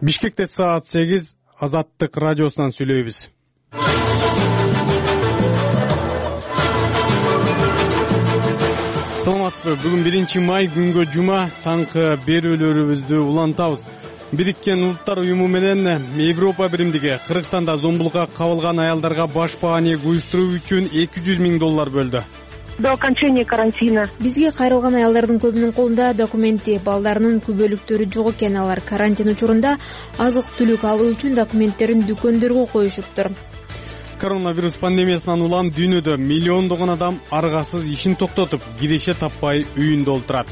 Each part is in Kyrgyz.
Бишкекте саат 8 Азаттык радиосунан сүйлөйбүз. Саламатсызбы? Бүгүн 1-май күнгө жума таңкы берүүлөрүбүздү улантабыз. Бириккен Улуттар уюму менен Европа биримдиги Кыргызстанда зомбулукка кабылган аялдарга башпаанек уюштуруу үчүн $200,000 бөлдү. До окончания карантина. Бизге кайрылган аялдардын көбүнүн колунда документи, балдарынын күбөлүктөрү жок экен. Алар карантин учурунда азык-түлүк алуу үчүн документтерин дүкөндөргө коюшуптур. Коронавирус пандемиясынан улам дүйнөдө миллиондогон адам аргасыз ишин токтотуп, киреше таппай үйүндө олтурат.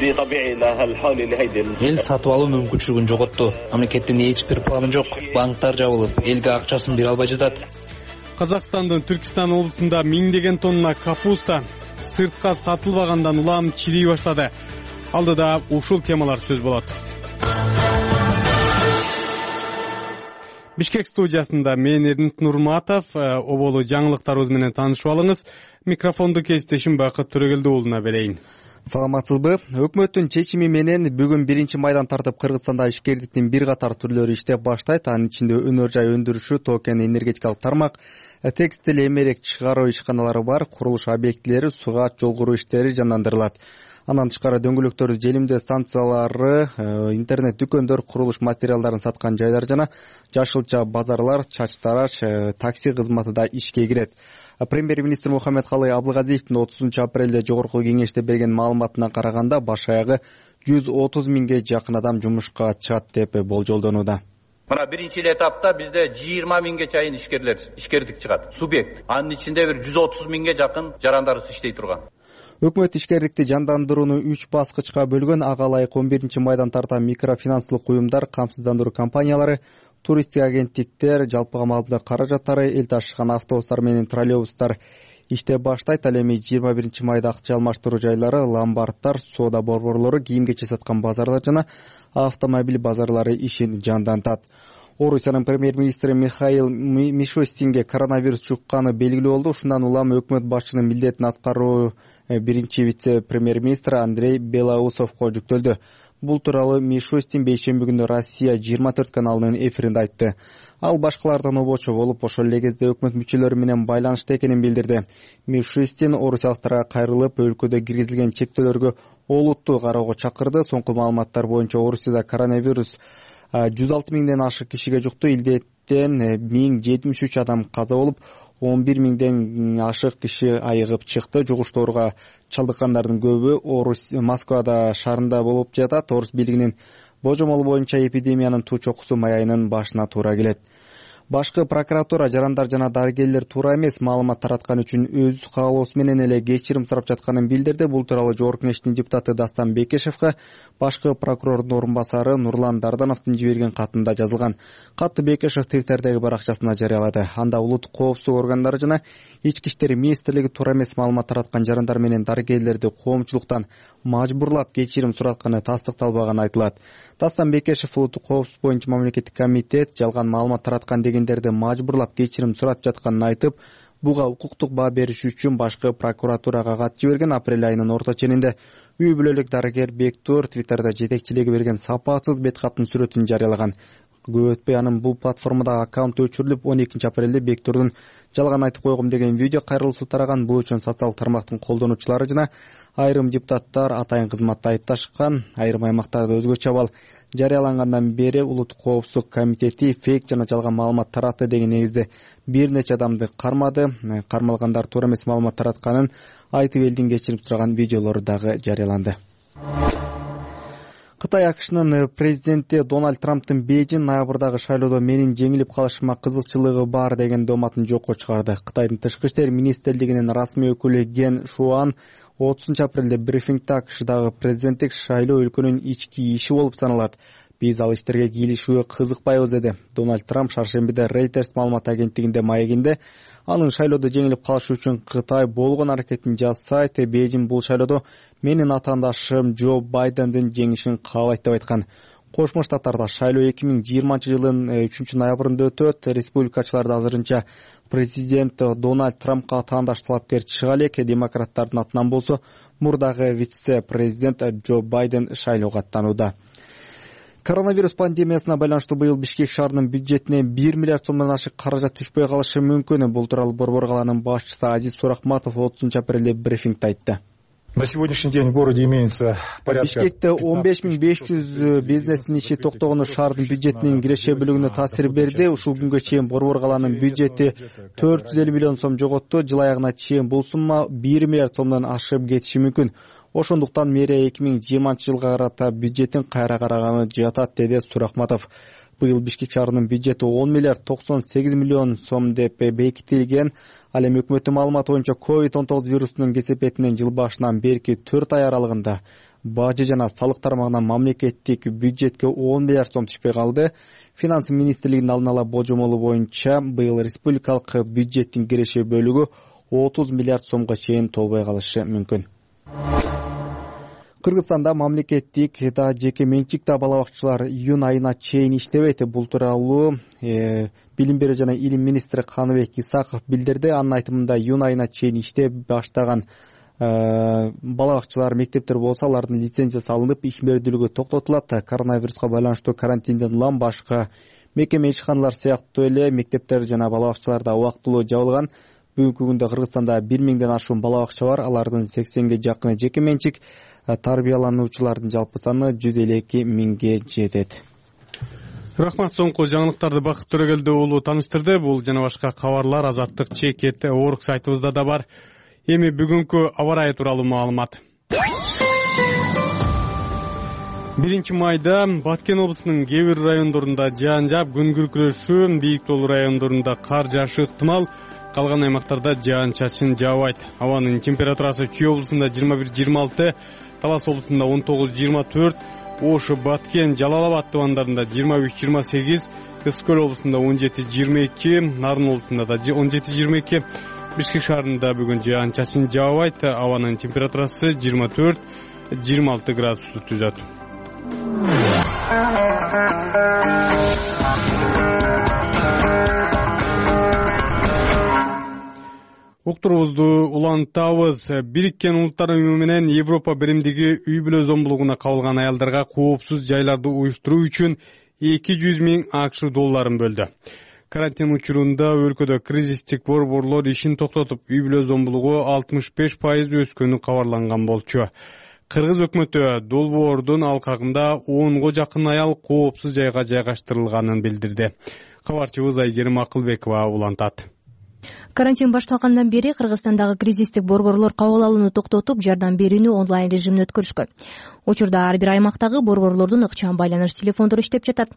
Эл сатып алуу мүмкүнчүлүгүн жоготту. Мамлекеттин эч бир планы жок. Банктар жабылып, элге акчасын бере албай жатат. Казакстандын Түркистан облусунда миңдеген тонна капуста сыртка сатылбагандан улам чирей баштады. Алдыда ушул темалар сөз болот. Бишкек студиясында мен Эрдинт Нурматов, оболу жаңылыктарыбыз менен таанышып алыңыз. Микрофонду кесиптешим Бакыт Төрөгелди уулуна берейин. Саламатсызбы? Өкмөттүн чечими менен бүгүн 1-майдан тартып Кыргызстанда ишкерликтин бир катар түрлөрү иштеп баштайт. Анын ичинде өнөр жай өндүрүшү, токен энергетикалык тармак, текстиль, эмерек чыгаруу ишканалары бар, курулуш объектилери, сугаат, жол куруу иштери жандандырылат. Андан тышкары дөңгөлөктөрдү желимдөө станциялары, интернет дүкөндөр, курулуш материалдарын саткан жайлар жана жашылча базарлар, чач тараш, такси кызматы да ишке кирет. Премьер-министр Мухаммедкалый Абылгазиевдин 30-апрелде жогорку кеңеште берген маалыматына караганда баш аягы 130 миңге жакын адам жумушка чыгат деп болжолдонууда. Мына биринчи этапта бизде 20 миңге чейин ишкердик чыгат. Субъект. Анын ичинде бир 130 миңге жакын жарандарыбыз иштей турган. Өкмөт ишкерликти жандандырууну 3 баскычка бөлгөн. Ага ылайык 11-майдан тарта микрофинанслык уюмдар, камсыздандыруу компаниялары, туристтик агенттиктер, жалпыга маалымдоо каражаттары, эл ташыган автобустар менен троллейбустар иштеп баштайт. Ал эми 21-майда акча алмаштыруу жайлары, ломбарддар, соода борборлору, кийим-кече саткан базарлар жана автомобиль базарлары ишин жандантат. Орусиянын премьер-министри Михаил Мишустинге коронавирус жукканы белгилүү болду. Ушундан улам өкмөт башчынын милдетин аткаруу биринчи вице-премьер-министри Андрей Белоусовго жүктөлдү. Бул тууралуу Мишустин бейшемби күнү Россия 24 каналынын эфиринде айтты. Ал башкалардан обочо болуп, ошол эле кезде өкмөт мүчөлөрү менен байланышта экенин билдирди. Мишустин орусиялыктарга кайрылып, өлкөдө киргизилген чектөөлөргө олуттуу кароого чакырды. Соңку маалыматтар боюнча Орусияда коронавирус 106 миңден ашык кишиге жукту. Илдеттен 1073 адам каза болуп, 11 миңден ашык киши айыгып чыкты. Жугуштоорго чалдыккандардын көбү Москвада шаарында болуп жатат. Орус бийлигинин божомолу боюнча эпидемиянын туу чокусу май айынын башына туура келет. Башкы прокуратура жарандар жана дарыгерлер туура эмес маалымат тараткан үчүн өз каалоосу менен эле кечирим сурап жатканын билдирди. Бул тууралуу Жогорку Кеңештин депутаты Дастан Бекешевге башкы прокурордун орун басары Нурлан Дардановдун жиберген катында жазылган. Катты Бекешев Твиттердеги баракчасына жарыялады. Анда улуттук коопсуздук органдары жана ички иштер министрлиги туура эмес маалымат тараткан жарандар менен дарыгерлерди коомчулуктан мажбурлап кечирим суратканы тастыкталбаганы айтылат. Дастан Бекешев улуттук коопсуздук боюнча мамлекеттик комитет жалган маалымат тараткан дегендерди мажбурлап кечирим сурап жатканын айтып, буга укуктук баа бериш үчүн башкы прокуратурага кат жиберген. Апрель айынын орто ченинде үй бүлөлүк дарыгер Бектур Твиттерде жетекчилиги берген сапатсыз бет каптын сүрөтүн жарыялаган. Көп өтпөй анын бул платформадагы аккаунту өчүрүлүп, 12-апрелде Бектурдун жалган айтып койгум деген видео кайрылуусу тараган. Бул үчүн социалдык тармактын колдонуучулары жана айрым депутаттар атайын кызматта айыпташкан. Айрым аймактарда өзгөчө абал жарыялангандан бери улуттук коопсуздук комитети фейк жана жалган маалымат таратты деген негизде бир нече адамды кармады. Кармалгандар туура эмес маалымат таратканын айтып элдин кечирим сураган видеолору дагы жарыяланды. Кытай АКШнын президенти Дональд Трамптын Бейжин ноябрдагы шайлоодо менин жеңилип калышыма кызыкчылыгы бар деген дооматын жокко чыгарды. Кытайдын тышкы иштер министрлигинин расмий өкүлү Ген Шуан 30-апрелде брифингде АКШдагы президенттик шайлоо өлкөнүн ички иши болуп саналат. Биз ал иштерге кийлишүүгө кызыкпайбыз деди. Дональд Трамп шаршембиде Reuters маалымат агенттигинде маегинде анын шайлоодо жеңилип калышы үчүн Кытай болгон аракетин жасайт. Бейжин бул шайлоодо менин атаандашым Джо Байдендин жеңишин каалайт деп айткан. Кошмо Штаттарда шайлоо 2020 жылдын 3-ноябрында өтөт. Республикачылар азырынча президент Дональд Трампка таандаш талапкер чыга элек. Демократтардын атынан болсо мурдагы вице-президент Джо Байден шайлоого аттанууда. Коронавирус пандемиясына байланыштуу быйыл Бишкек шаарынын бюджетине 1 миллиард сомдон ашык каражат түшпөй калышы мүмкүн. Бул тууралуу Борбор калаанын башчысы Азиз Сурахматов 30-апрелде брифингде айтты. На сегодняшний день в городе имеется порядка... Бишкекте 15 500 бизнестин иши токтогону шаардын бюджетинин киреше бөлүгүнө таасир берди. Ушул күнгө чейин Борбор калаанын бюджети 450 миллион сом жоготту. Жыл аягына чейин бул сумма 1 миллиард сомдон ашып кетиши мүмкүн. Ошондуктан мэрия 2020-жылга карата бюджетин кайра караганы жатат, деди Сурахматов. Быйыл Бишкек шаарынын бюджети 10 миллиард 98 миллион сом деп бекитилген. Ал эми өкмөттүн маалыматы боюнча COVID-19 вирусунун кесепетинен жыл башынан берки 4 ай аралыгында бажы жана салык тармагынан мамлекеттик бюджетке 10 миллиард сом түшпөй калды. Финанс министрлигинин алдын ала болжомолу боюнча быйыл республикалык бюджеттин киреше бөлүгү 30 миллиард сомго чейин толбой калышы мүмкүн. Кыргызстанда мамлекеттик да жеке менчик да бала бакчалар июнь айына чейин иштебейт. Бул тууралуу Билим берүү жана илим министри Каныбек Исаков билдирди. Анын айтымында июнь айына чейин иштеп баштаган бала бакчалар, мектептер болсо алардын лицензиясы алынып, ишмердүүлүгү токтотулат. Коронавируска байланыштуу карантинден улам башка мекеме ишканалар сыяктуу эле мектептер жана бала бакчалар да убактылуу жабылган. Бүгүнкү күндө Кыргызстанда 1000ден ашуун бала бакча бар. Алардын 80ге жакыны жеке менчик. Тарбиялануучулардын жалпы саны 152 миңге жетет. Рахмат, соңку жаңылыктарды Бакыт Төрөгелди уулу тааныштырды. Бул жана башка кабарлар Азаттык чекет орг сайтыбызда да бар. Эми бүгүнкү аба ырайы тууралуу маалымат. 1 майда Баткен облусунун кээ бир райондорунда жаан жаап, күн күркүрөшүү, бийик тоолуу райондорунда кар жаашы ыктымал. Калган аймактарда жаан чачын жаабайт. Абанын температурасы Чүй облусунда 21-26, Талас облусунда 19-24, Ош, Баткен, Жалал Абад тубандарында 23-28, Ысык көл облусунда 17-22, Нарын облусунда да 17-22. Бишкек шаарында бүгүн жаан чачын жаабайт. Абанын температурасы 24-26 градусту түзөт. Уктурубузду улантабыз. Бириккен Улуттар Уюму менен Европа биримдиги үй бүлө зомбулугуна кабылган аялдарга коопсуз жайларды уюштуруу үчүн 200 миң АКШ долларын бөлдү. Карантин учурунда өлкөдө кризистик борборлор ишин токтотуп, үй бүлө зомбулугу 65% өскөнү кабарланган болчу. Кыргыз өкмөтү долбоордун алкагында 10го жакын аял коопсуз жайга жайгаштырылганын билдирди. Кабарчыбыз Айгерим Акылбекова улантат. Карантин башталгандан бери Кыргызстандагы кризистик борборлор кабыл алууну токтотуп, жардам берүүнү онлайн режимде өткөрүшкөн. Учурда ар бир аймактагы борборлордун ыкчам байланыш телефондору иштеп жатат.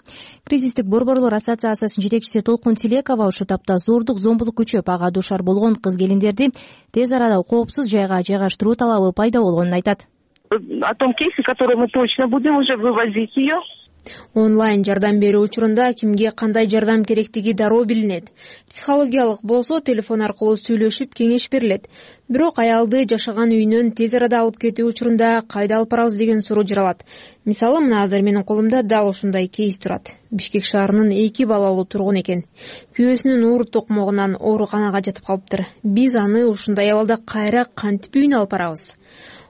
Кризистик борборлор ассоциациясынын жетекчиси Толкун Тилекова ушул тапта зордук зомбулук күчөп, ага душар болгон кыз-келиндерди тез арада коопсуз жайга жайгаштыруу талабы пайда болгонун айтат. О том кейсе, который мы точно будем уже вывозить ее. Онлайн жардам берүү учурунда кимге кандай жардам керектиги дароо билинет. Психологиялык болсо телефон аркылуу сүйлөшүп кеңеш берилет. Бирок аялды жашаган үйүнөн тез арада алып кетүү учурунда кайда алып барабыз деген суроо жаралат. Мисалы, мына азыр менин колумда дал ушундай кейс турат. Бишкек шаарынын 2 балалуу тургун экен. Күйөөсүнүн оор токмогунан ооруканага жатып калыптыр. Биз аны ушундай абалда кайра кантип үйүнө алып барабыз?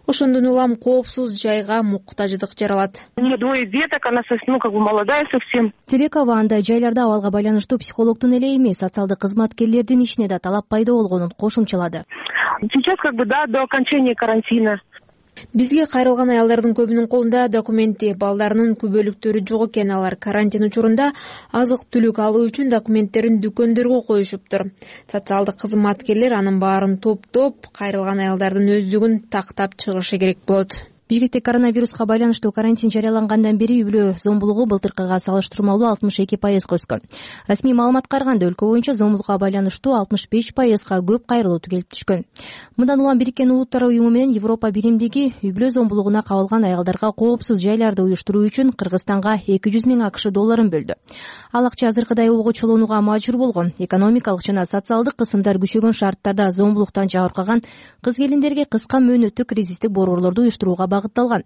Ошондон улам коопсуз жайга муктаждык жаралат. У нее 2 деток, она молодая совсем. Тилекова андай жайларда абалга байланыштуу психологдун эле эмес, социалдык кызматкерлердин ишине да талап пайда болгонун кошумчалады. Сейчас до окончания карантина. Бизге кайрылган аялдардын көбүнүн колунда документи, балдарынын күбөлүктөрү жок экен. Алар карантин учурунда азык-түлүк алуу үчүн документтерин дүкөндөргө коюшуптур. Социалдык кызматкерлер анын баарын топтоп, кайрылган аялдардын өздүгүн тактап чыгышы керек болот. Бишкекте коронавируска байланыштуу карантин жарыялангандан бери үй бүлө зомбулугу былтыркыга салыштырмалуу 62%га өскөн. Расмий маалыматка караганда өлкө боюнча зомбулукка байланыштуу 65%га көп кайрылуу келип түшкөн. Мындан улам Бириккен Улуттар Уюму менен Европа биримдиги үй бүлө зомбулугуна кабылган аялдарга коопсуз жайларды уюштуруу үчүн Кыргызстанга 200 миң АКШ долларын бөлдү. Ал акча азыркыдай обгочолонууга мажбур болгон. Экономикалык жана социалдык кысымдар күчөгөн шарттарда зомбулуктан жабыркаган кыз-келиндерге кыска мөөнөттүү кризистик борборлорду уюштурууга багытталган.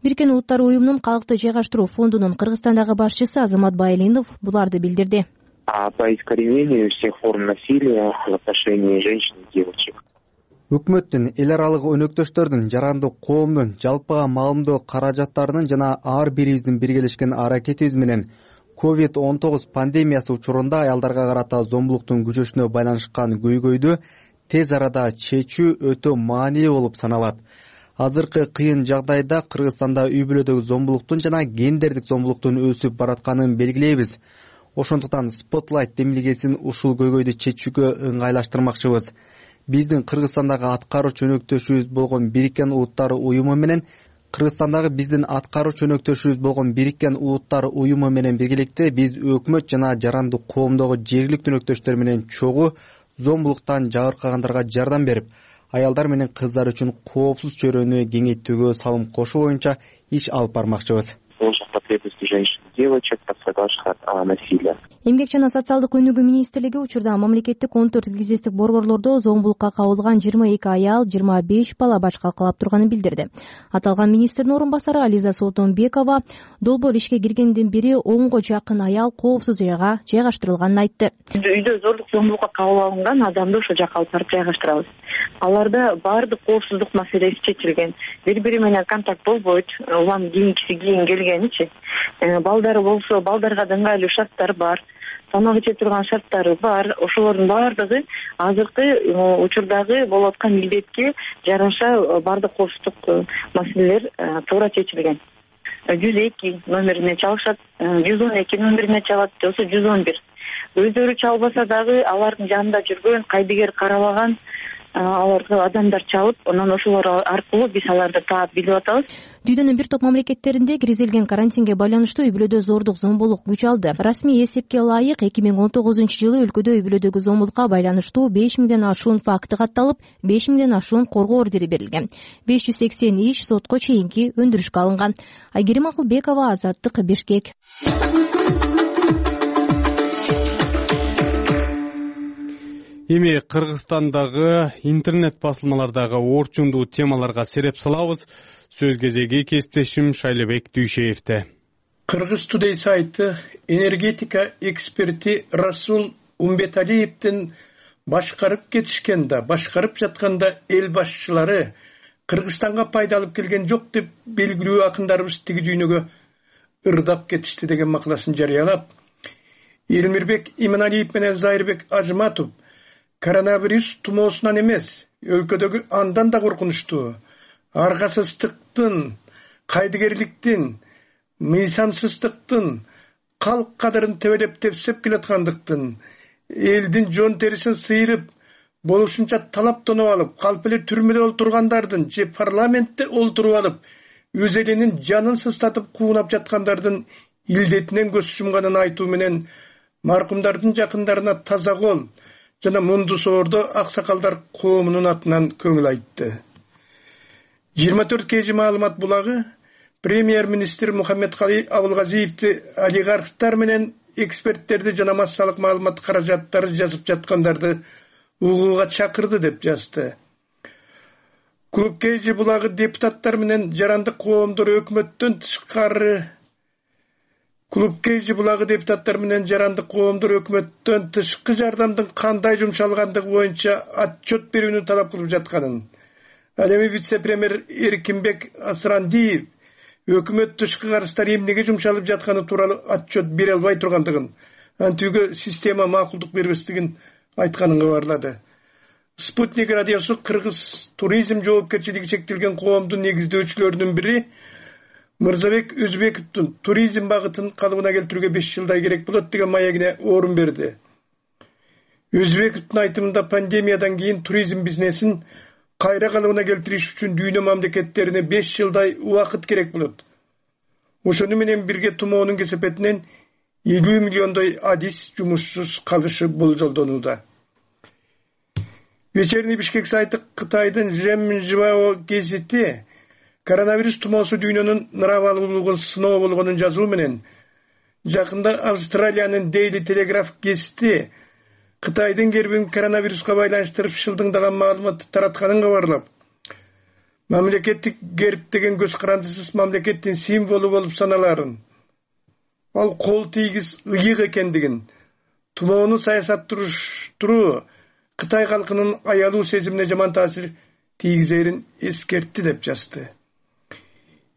Бириккен Улуттар Уюмунун калкты жайгаштыруу фондунун Кыргызстандагы башчысы Азамат Байлинов буларды билдирди. По искоренению всех форм насилия в отношении женщин и девочек. өкмөттүн, эл аралык өнөктөштөрдүн, жарандык коомдун жалпыга маалымдоо каражаттарынын жана ар бирибиздин биргелешкен аракетибиз менен COVID-19 пандемиясы учурунда аялдарга карата зомбулуктун күчөшүнө байланышкан көйгөйдү тез арада чечүү өтө маанилүү болуп саналат. Азыркы кыйын жагдайда Кыргызстанда үй бүлөдөгү зомбулуктун жана гендердик зомбулуктун өсүп баратканын белгилейбиз. Ошондуктан Spotlight демилгесин ушул көйгөйдү чечүүгө ыңгайлаштырмакчыбыз. Биздин Кыргызстандагы аткаруучу өнөктөшүбүз болгон Бириккен Улуттар уюму менен биргеликте биз өкмөт жана жарандык коомдогу жергиликтүү өнөктөштөр менен чогуу зомбулуктан жабыркагандарга жардам берип, аялдар менен кыздар үчүн коопсуз чөйрөнү кеңейтүүгө салым кошуу боюнча иш алып бармакчыбыз. Эмгек жана социалдык өнүгүү министрлиги учурда мамлекеттик 14 кризистик борборлордо зомбулукка кабылган 22 аял, 25 бала баш калкалап турганын билдирди. Аталган министрдин орун басары Ализа Солтонбекова долбоор ишке киргенден бери 10го жакын аял коопсуз жайга жайгаштырылганын айтты. Үйдө зордук зомбулукка кабыл алынган адамды ошол жака алып барып жайгаштырабыз. Аларда баардык коопсуздук маселеси чечилген. Бири-бири менен контакт болбойт. Улам кийинкиси кийин келгеничи. Балдары болсо, балдарга да ыңгайлуу шарттар бар. Тамак иче турган шарттары бар. Ошолордун баардыгы азыркы учурдагы болуп аткан илдетке жараша баардык коопсуздук маселелер туура чечилген. 102 номерине чалышат, 112 номерине чалат, болсо 111. Өздөрү чалбаса дагы алардын жанында жүргөн, кайдыгер карабаган аларга адамдар чалып, анан ошолор аркылуу биз аларды таап билип атабыз. Дүйдөнүн бир топ мамлекеттеринде киргизилген карантинге байланыштуу үй бүлөдө зордук зомбулук күч алды. Расмий эсепке ылайык 2019-жылы өлкөдө үй бүлөдөгү зомбулукка байланыштуу 5000ден ашуун факты катталып, 5000ден ашуун коргоо ордери берилген. 580 иш сотко чейинки өндүрүшкө алынган. Айгерим Акылбекова, Азаттык, Бишкек. Эми Кыргызстандагы интернет басылмалардагы орчундуу темаларга сереп салабыз. Сөз кезеги кесиптешим Шайлебек Дүйшеевде. Кыргыз Today сайты энергетика эксперти Расул Умбеталиевдин башкарып жатканда эл башчылары Кыргызстанга пайда алып келген жок деп белгилүү акындарыбыз тиги дүйнөгө ырдап кетишти деген макаласын жарыялап, Элмирбек Иманалиев менен Зайырбек Ажматов коронавирус тумоосунан эмес, өлкөдөгү андан да коркунучтуу аргасыздыктын, кайдыгерликтин, мыйзамсыздыктын, калк кадырын тебелеп тепсеп келаткандыктын, элдин жон терисин сыйрып, болушунча талаптонуп алып, калп эле түрмөдө олтургандардын же парламентте олтуруп алып, өз элинин жанын сыстатып куунап жаткандардын илдетинен көз жумганын айтуу менен маркумдардын жакындарына таза кол жана мунду соордо аксакалдар коомунун атынан көңүл айтты. 24 кж маалымат булагы премьер-министр Мухаммедкалый Абылгазиевди олигархтар менен эксперттерди жана массалык маалымат каражаттары жазып жаткандарды угууга чакырды деп жазды. Клуб кж булагы депутаттар менен жарандык коомдор өкмөттөн тышкары тышкы жардамдын кандай жумшалгандыгы боюнча отчет берүүнү талап кылып жатканын, ал эми вице-премьер Эркинбек Асрандиев өкмөт тышкы карыздары эмнеге жумшалып жатканы тууралуу отчет бере албай тургандыгын, антүүгө система макулдук бербестигин айтканын кабарлады. Спутник радиосу Кыргыз туризм жоопкерчилиги чектелген коомдун негиздөөчүлөрүнүн бири Мырзабек Өзбековдун туризм багытын калыбына келтирүүгө 5 жылдай керек болот деген маегине орун берди. Өзбековдун айтымында пандемиядан кийин туризм бизнесин кайра калыбына келтириш үчүн дүйнө мамлекеттерине 5 жылдай убакыт керек болот. Ошону менен бирге тумоонун кесепетинен 50 миллиондой адис жумушсуз калышы болжолдонууда. Вечерний Бишкек сайты Кытайдын Жемжибао гезити коронавирус тумоосу дүйнөнүн ныравалуулугун сыноо болгонун жазуу менен, жакында Австралиянын Daily Telegraph гезити Кытайдын кербин коронавируска байланыштырып шылдыңдаган маалыматты таратканын кабарлап, мамлекеттик герб деген көз карандысыз мамлекеттин символу болуп саналарын, ал кол тийгиз ыйык экендигин, тумоону саясатташтыруу Кытай калкынын аялуу сезимине жаман таасир тийгизерин эскертти деп жазды.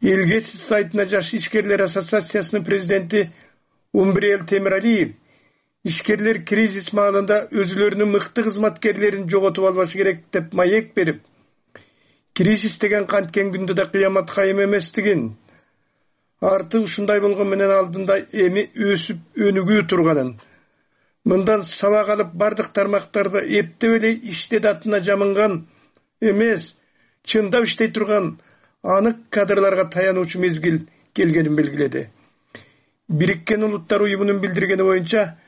Элгесиз сайтына Жаш ишкерлер ассоциациясынын президенти Умбриел Темиралиев ишкерлер кризис маалында өзүлөрүнүн мыкты кызматкерлерин жоготуп албашы керек деп маек берип, кризис деген канткен күндө да кыямат кайым эместигин, арты ушундай болгон менен алдында эми өсүп өнүгүү турганын, мындан сабак алып бардык тармактарда эптеп эле иштедатына жамынган эмес, чындап иштей турган анык кадрларга таянуучу мезгил келгенин белгиледи. Бириккен Улуттар уюмунун билдиргени боюнча,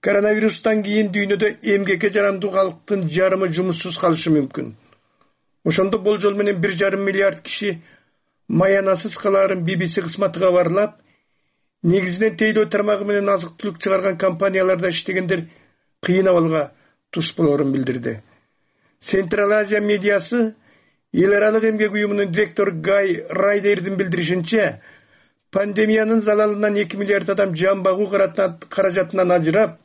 коронавирустан кийин дүйнөдө эмгекке жарандуу калктын жарымы жумуссуз калышы мүмкүн. Ошондо болжол менен 1,5 миллиард киши маянасыз калаарын BBC кызматы кабарлап, негизинен тейлөө тармагы менен азык-түлүк чыгарган компанияларда иштегендер кыйын абалга туш болоорун билдирди. Централ Азия медиасы Эл аралык эмгек уюмунун директору Гай Райдердин билдиришинче, пандемиянын залалынан 2 миллиард адам жан багуу каражатынан ажырап,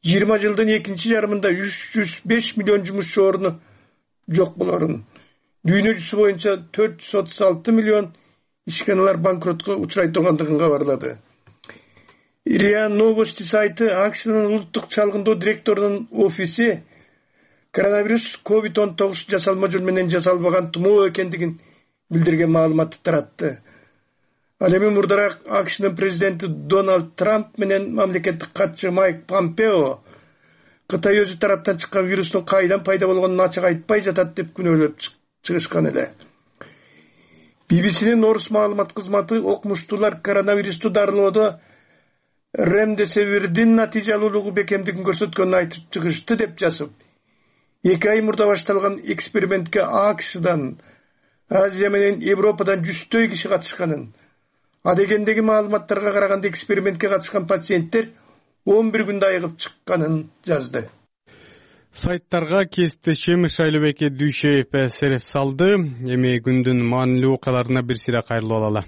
20 жылдын экинчи жарымында 305 миллион жумушчу орну жок болорун, дүйнө жүзү боюнча 436 миллион ишканалар банкротко учурай тургандыгын кабарлады. РИА Новости сайты АКШнын улуттук чалгындоо директорунун офиси коронавирус COVID-19 жасалма жол менен жасалбаган тумоо экендигин билдирген маалыматты таратты. Ал эми мурдараак АКШнын президенти Дональд Трамп менен мамлекеттик катчы Майк Помпео Кытай өзү тараптан чыккан вирустун кайдан пайда болгонун ачык айтпай жатат деп күнөөлөп чыгышкан эле. BBC'нин орус маалымат кызматы окумуштуулар коронавирусту дарылоодо ремдесивирдин натыйжалуулугу бекемдигин көрсөткөнүн айтып чыгышты деп жазып, 2 ай мурда башталган экспериментке АКШдан, Азия менен Европадан 100 киши катышканын, адегендеги маалыматтарга караганда экспериментке катышкан пациенттер 11 күндө айыгып чыкканын жазды. Сайттарга кесиптешим Шайлобеке Дүйшеев сереп салды. Эми күндүн маанилүү окуяларына бир сыйра кайрылып алалы.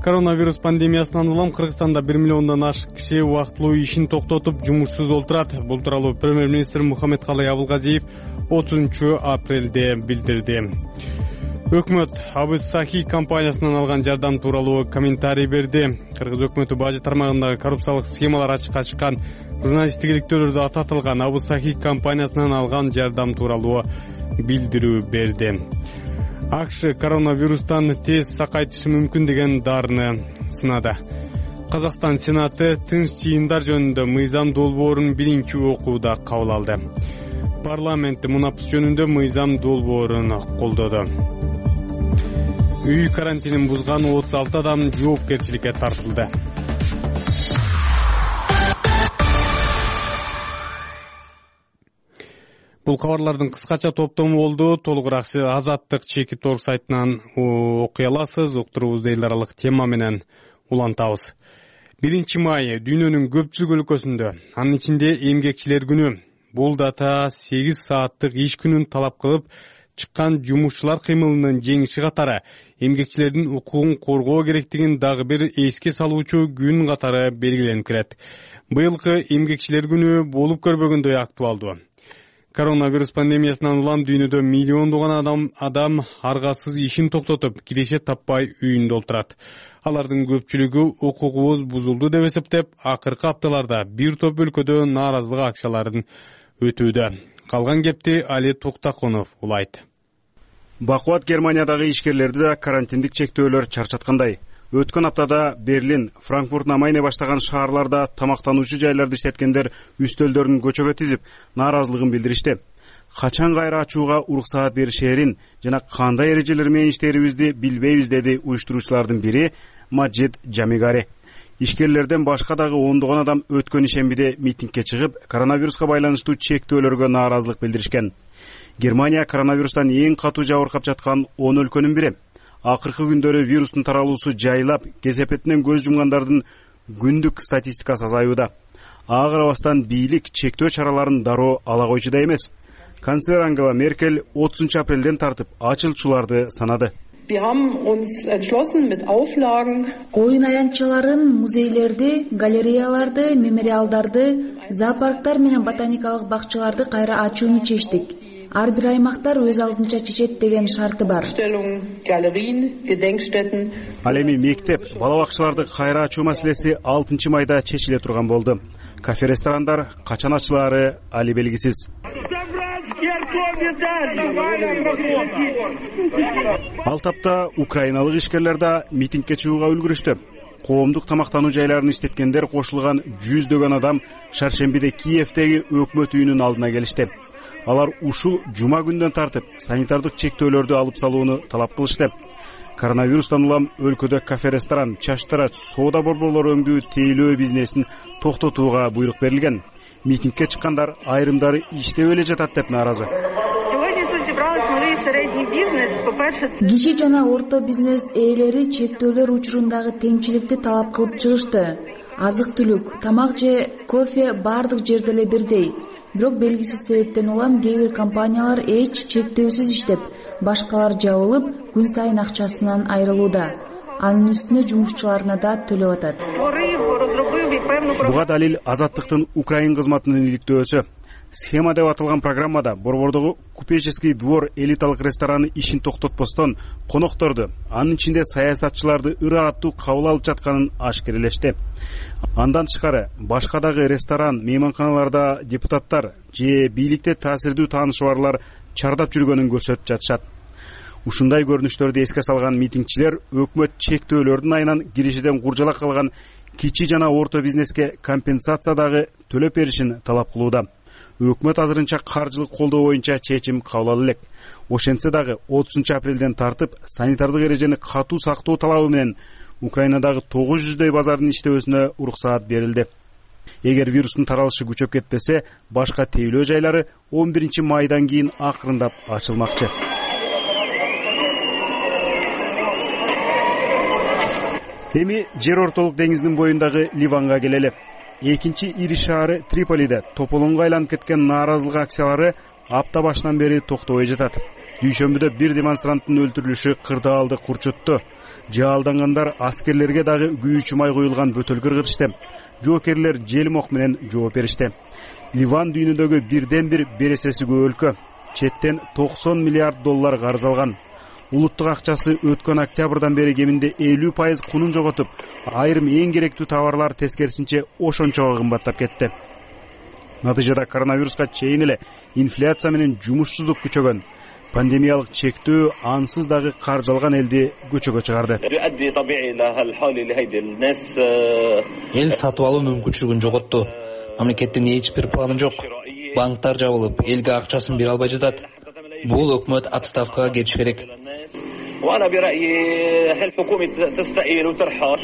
Коронавирус пандемиясынан улам Кыргызстанда 1 миллиондон ашык киши убактылуу ишин токтотуп, жумушсуз олтурат. Бул тууралуу премьер-министр Мухаммедкалый Абылгазиев 30 апрелде билдирди. Өкмөт Абыз Сахи компаниясынан алган жардам тууралуу комментарий берди. Кыргыз өкмөтү бажы тармагындагы коррупциялык схемалар ачыкка чыккан журналисттик иликтөөлөрдө ататылган Абыз Сахи компаниясынан алган жардам тууралуу билдирүү берди. АКШ коронавирустан тез сакайтышы мүмкүн деген дарыны сынады. Казакстан Сенаты тынч чыйындар жөнүндө мыйзам долбоорун биринчи окууда кабыл алды. Парламент мунапыс жөнүндө мыйзам долбоорун колдоду. Үй карантинин бузган 36 адам жоопкерчиликке тартылды. Бул кабарлардын кыскача топтому болду. Толугураак Азаттык чекит орг сайтынан окуй аласыз. Уктуруубузду эл аралык тема менен улантабыз. 1 май дүйнөнүн көпчүлүк өлкөсүндө, анын ичинде эмгекчилер күнү. Бул дата 8 сааттык иш күнүн талап кылып чыккан жумушчулар кыймылынын жеңиши катары эмгекчилердин укугун коргоо керектигин дагы бир эске салуучу күн катары белгиленип келет. Быйылкы эмгекчилер күнү болуп көрбөгөндөй актуалдуу. Коронавирус пандемиясынан улам дүйнөдө миллиондогон адам аргасыз ишин токтотуп, киреше таппай үйүндө олтурат. Алардын көпчүлүгү укугубуз бузулду деп эсептеп, акыркы апталарда бир топ өлкөдө нааразылык акцияларын өтүүдө. Калган кепти Али Токтаконов улайт. Бакубат Германиядагы ишкерлерди да карантиндик чектөөлөр чарчаткандай. Өткөн аптада Берлин, Франкфурт намайне баштаган шаарларда тамактануучу жайларды иштеткендер үстөлдөрүн көчөгө тизип, нааразылыгын билдиришти. Качан кайра ачууга уруксаат беришээрин жана кандай эрежелер менен иштерибизди билбейбиз деди уюштуруучулардын бири Маджид Жамигари. Ишкерлерден башка дагы ондогон адам өткөн ишембиде митингге чыгып, коронавируска байланыштуу чектөөлөргө нааразылык билдиришкен. Германия коронавирустан эң катуу жабыркап жаткан 10 өлкөнүн бири. Акыркы күндөрү вирустун таралуусу жайлап, кесепетинен көз жумгандардын күндүк статистикасы азаюуда. Ага карабастан бийлик чектөө чараларын дароо ала койчу да эмес. Канцлер Ангела Меркель 30 апрелден тартып ачылчуларды санады. Оюн аянтчаларын, музейлерди, галереяларды, мемориалдарды, зоопарктар менен ботаникалык бакчаларды кайра ачууну чечтик. Ар бир аймактар өз алдынча чечет деген шарты бар. Ал эми мектеп, бала бакчаларды кайра ачуу маселеси 6 майда чечиле турган болду. Кафе, ресторандар качан ачылаары али белгисиз. Ал тапта украиналык ишкерлер да митингге чыгууга үлгүрүштү. Коомдук тамактануу жайларын иштеткендер кошулган жүздөгөн адам шаршембиде Киевдеги өкмөт үйүнүн алдына келишти. Алар ушул жума күндөн тартып санитардык чектөөлөрдү алып салууну талап кылышты. Коронавирустан улам өлкөдө кафе, ресторан, чачтара, соода борборлору өңдүү тейлөө бизнесин токтотууга буйрук берилген. Митингге чыккандар айрымдары иштеп эле жатат деп нааразы. Кичи жана орто бизнес ээлери чектөөлөр учурундагы теңчиликти талап кылып чыгышты. Азык-түлүк, тамак же кофе бардык жерде эле бирдей. Бирок белгисиз себептен улам кээ бир компаниялар эч чектөөсүз иштеп, башкалар жабылып, күн сайын акчасынан айрылууда. Анын үстүнө жумушчуларына да төлөп атат. Буга далил Азаттыктын Украин кызматынын иликтөөсү. Схема деп аталган программада борбордогу Купеческий двор элиталык рестораны ишин токтотпостон конокторду, анын ичинде саясатчыларды ырааттуу кабыл алып жатканын ашкерелешти. Андан тышкары башка дагы ресторан, мейманканаларда депутаттар же бийликте таасирдүү таанышы барлар чардап жүргөнүн көрсөтүп жатышат. Ушундай көрүнүштөрдү эске салган митингчилер өкмөт чектөөлөрдүн айынан киришиден куржалак калган кичи жана орто бизнеске компенсация дагы төлөп беришин талап кылууда. Өкмөт азырынча каржылык колдоо боюнча чечим кабыл ала элек. Ошентсе дагы 30 апрелден тартып санитардык эрежени катуу сактоо талабы менен Украинадагы 900дөй базардын иштөөсүнө уруксаат берилди. Эгер вирустун таралышы күчөп кетпесе, башка тейлөө жайлары 11 майдан кийин акырындап ачылмакчы. Эми жер ортолук деңиздин боюндагы Ливанга келели. Экинчи ири шаары Триполиде тополонго айланып кеткен нааразылык акциялары апта башынан бери токтобой жатат. Дүйшөмбүдө бир демонстранттын өлтүрүлүшү кырдаалды курчутту. Жаалдангандар аскерлерге дагы күйүүчү май куюлган бөтөл кыргытышты. Жоокерлер желмок менен жооп беришти. Ливан дүйнөдөгү бирден бир бересеси көп өлкө. Четтен $90 миллиард карыз алган. Улуттук акчасы өткөн октябрдан бери кеминде 50% кунун жоготуп, айрым эң керектүү товарлар тескерисинче ошончого кымбаттап кетти. Натыйжада коронавируска чейин эле инфляция менен жумушсуздук күчөгөн. Пандемиялык чектөө ансыз дагы каржы алган элди көчөгө чыгарды. Эл сатып алуу мүмкүнчүлүгүн жоготту. Мамлекеттин эч бир планы жок. Банктар жабылып, элге акчасын бере албай жатат. Бул өкмөт отставкага кетиш керек.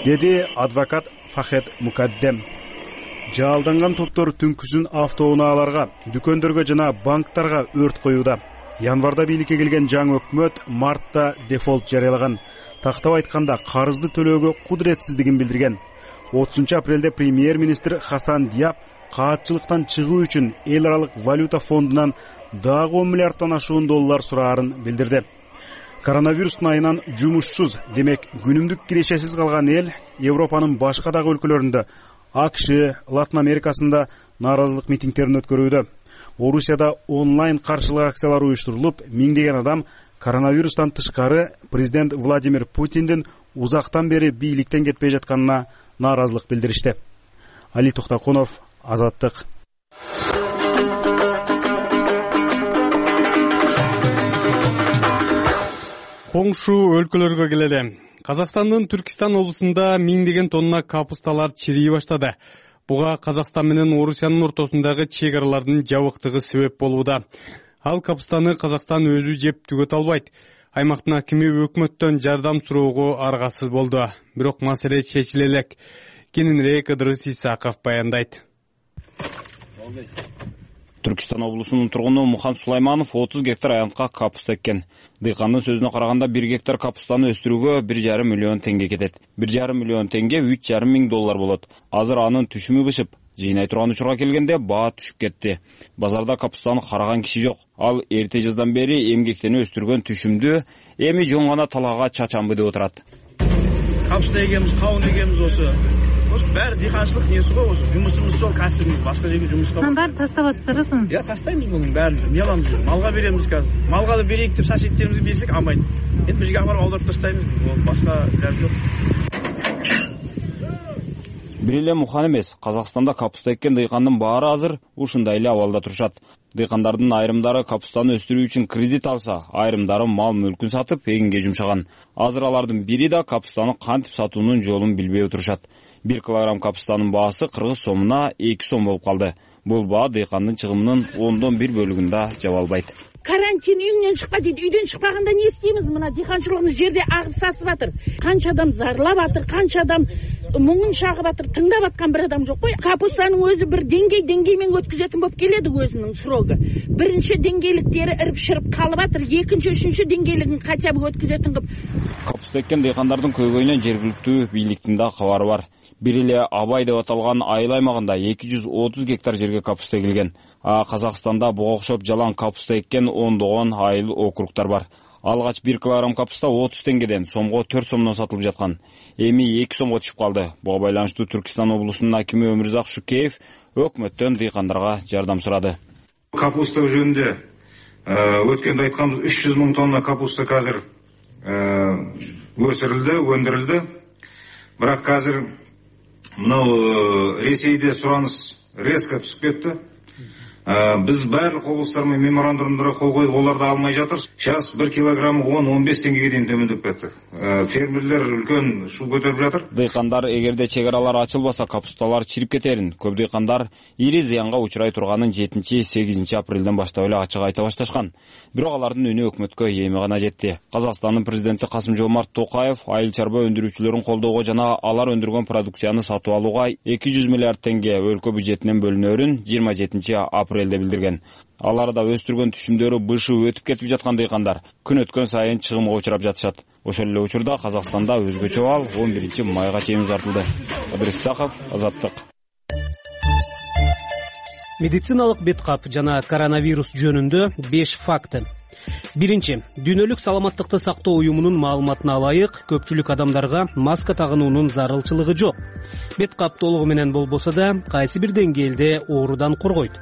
Деди адвокат Фахет Мукаддем. Жаалданган топтор түнкүсүн автоунааларга, дүкөндөргө жана банктарга өрт коюуда. Январда бийликке келген жаңы өкмөт мартта дефолт жарыялаган. Тактап айтканда карызды төлөөгө кудуретсиздигин билдирген. 30 апрелде премьер-министр Хасан Диаб каатчылыктан чыгуу үчүн эл аралык валюта фондунан дагы $10 миллиард сураарын билдирди. Коронавирустун айынан жумушсуз, демек күнүмдүк кирешесиз калган эл Европанын башка дагы өлкөлөрүндө, АКШ, Латын Америкасында нааразылык митингдерин өткөрүүдө. Орусияда онлайн каршылык акциялары уюштурулуп, миңдеген адам коронавирустан тышкары президент Владимир Путиндин узактан бери бийликтен кетпей жатканына нааразылык билдиришти. Али Токтоконов, Азаттык. Коңшу өлкөлөргө келели. Казакстандын Түркистан облусунда миңдеген тонна капусталар чирий баштады. Буга Казакстан менен Орусиянын ортосундагы чек аралардын жабыктыгы себеп болууда. Ал капустаны Казакстан өзү жеп түгөт албайт. Аймактын акими өкмөттөн жардам суроого аргасыз болду. Бирок маселе чечиле элек. Кененирээк Ыдырыс Исаков баяндайт. Түркистан облусунун тургуну Мухан Сулайманов 30 гектар аянтка капуста эккен. Дыйкандын сөзүнө караганда 1 гектар капустаны өстүрүүгө 1,5 миллион теңге кетет. 1,5 миллион теңге $3,5 миң болот. Азыр анын түшүмү бышып, Жыйнай турган учурга келгенде баа түшүп кетти. Базарда капустаны караган киши жок. Ал эрте жаздан бери эмгектенип өстүргөн түшүмдү эми жөн гана талаага чачамбы деп отурат. Капуста эгемиз, кабын эгемиз ошо баары дыйканчылык неси го, ошо жумушубуз сол, касыбыбыз, башка жерге жумушка. Баары тастап атасызбы? Тастайбыз мунун баарын, эмне кыламыз? Малга беребиз азыр. Малга да берейик деп соседтерибизге берсек албайт. Эми бул жерге алып барып аударып тастайбыз. Башка илажы жок. Бир эле Мухан эмес, Казакстанда капуста эккен дыйкандын баары азыр ушундай эле абалда турушат. Дыйкандардын айрымдары капустаны өстүрүү үчүн кредит алса, айрымдары мал мүлкүн сатып эгинге жумшаган. Азыр алардын бири да капустаны кантип сатуунун жолун билбей отурушат. 1 килограмм капустанын баасы кыргыз сомуна 2 сом болуп калды. Бул баа дыйкандын чыгымынын 1/10 бөлүгүн да жаба албайт. Карантин үйүнөн чыкпа дейт. Үйдөн чыкпаганда не истейбиз? Мына дыйканчылыгыбыз жерде агып сасып атыр. Канча адам зарлап атыр, канча адам муңун чагып атыр. Тыңдап аткан бир адам жок кой. Капустанын өзү бир деңгей менен өткүзөтүн болуп келеди өзүнүн срогу. Биринчи деңгейликтери ирip-шырып калып атыр. Экинчи, үчүнчү деңгейлигин хотя бы өткүзөтүн кылып. Капуста эккен дыйкандардын көйгөйүнөн жергиликтүү бийликтин да кабары бар. Бир эле Абай деп аталган айыл аймагында 230 гектар жерге капуста экилген. Казакстанда буга окшоп жалаң капуста эккен ондогон айыл округтар бар. Алгач 1 килограмм капуста 30 теңгеден сомго 4 сомдон сатылып жаткан. Эми 2 сомго түшүп калды. Буга байланыштуу Түркистан облусунун акими Өмүрзак Шукеев өкмөттөн дыйкандарга жардам сурады. Капуста жөнүндө өткөндө айтканбыз 300 миң тонна капуста азыр өсүрүлдү, өндүрүлдү. Бирок азыр мына Ресейде сураныс резко түсүп кетти. Биз барлык облустар менен меморандумдарға кол коюп, олар да алмай жатыр. Сейчас 1 килограмм 10-15 теңгеге дейин төмөндөп кетти. Фермерлер үлкөн шу көтөрүп жатыр. Дыйкандар эгерде чек аралар ачылбаса капусталар чирип кетерин, көп дыйкандар ири зыянга учурай турганын 7-8 апрелден баштап эле ачык айта башташкан. Бирок алардын үнү өкмөткө эми гана жетти. Казакстандын президенти Касым-Жомарт Токаев айыл чарба өндүрүүчүлөрүн колдоого жана алар өндүргөн продукцияны сатып алууга 200 миллиард теңге өлкө бюджетинен бөлүнөрүн 27 апрелде билдирген. Алар да өстүргөн түшүмдөрү бышып өтүп кетип жаткан дыйкандар күн өткөн сайын чыгымга учурап жатышат. Ошол эле учурда Казакстанда өзгөчө абал 11 майга чейин узартылды. Кадыр Исаков, Азаттык. Медициналык беткап жана коронавирус жөнүндө 5 факты. Биринчи, дүйнөлүк саламаттыкты сактоо уюмунун маалыматына ылайык, көпчүлүк адамдарга маска тагынуунун зарылчылыгы жок. Беткап толугу менен болбосо да, кайсы бир деңгээлде оорудан коргойт.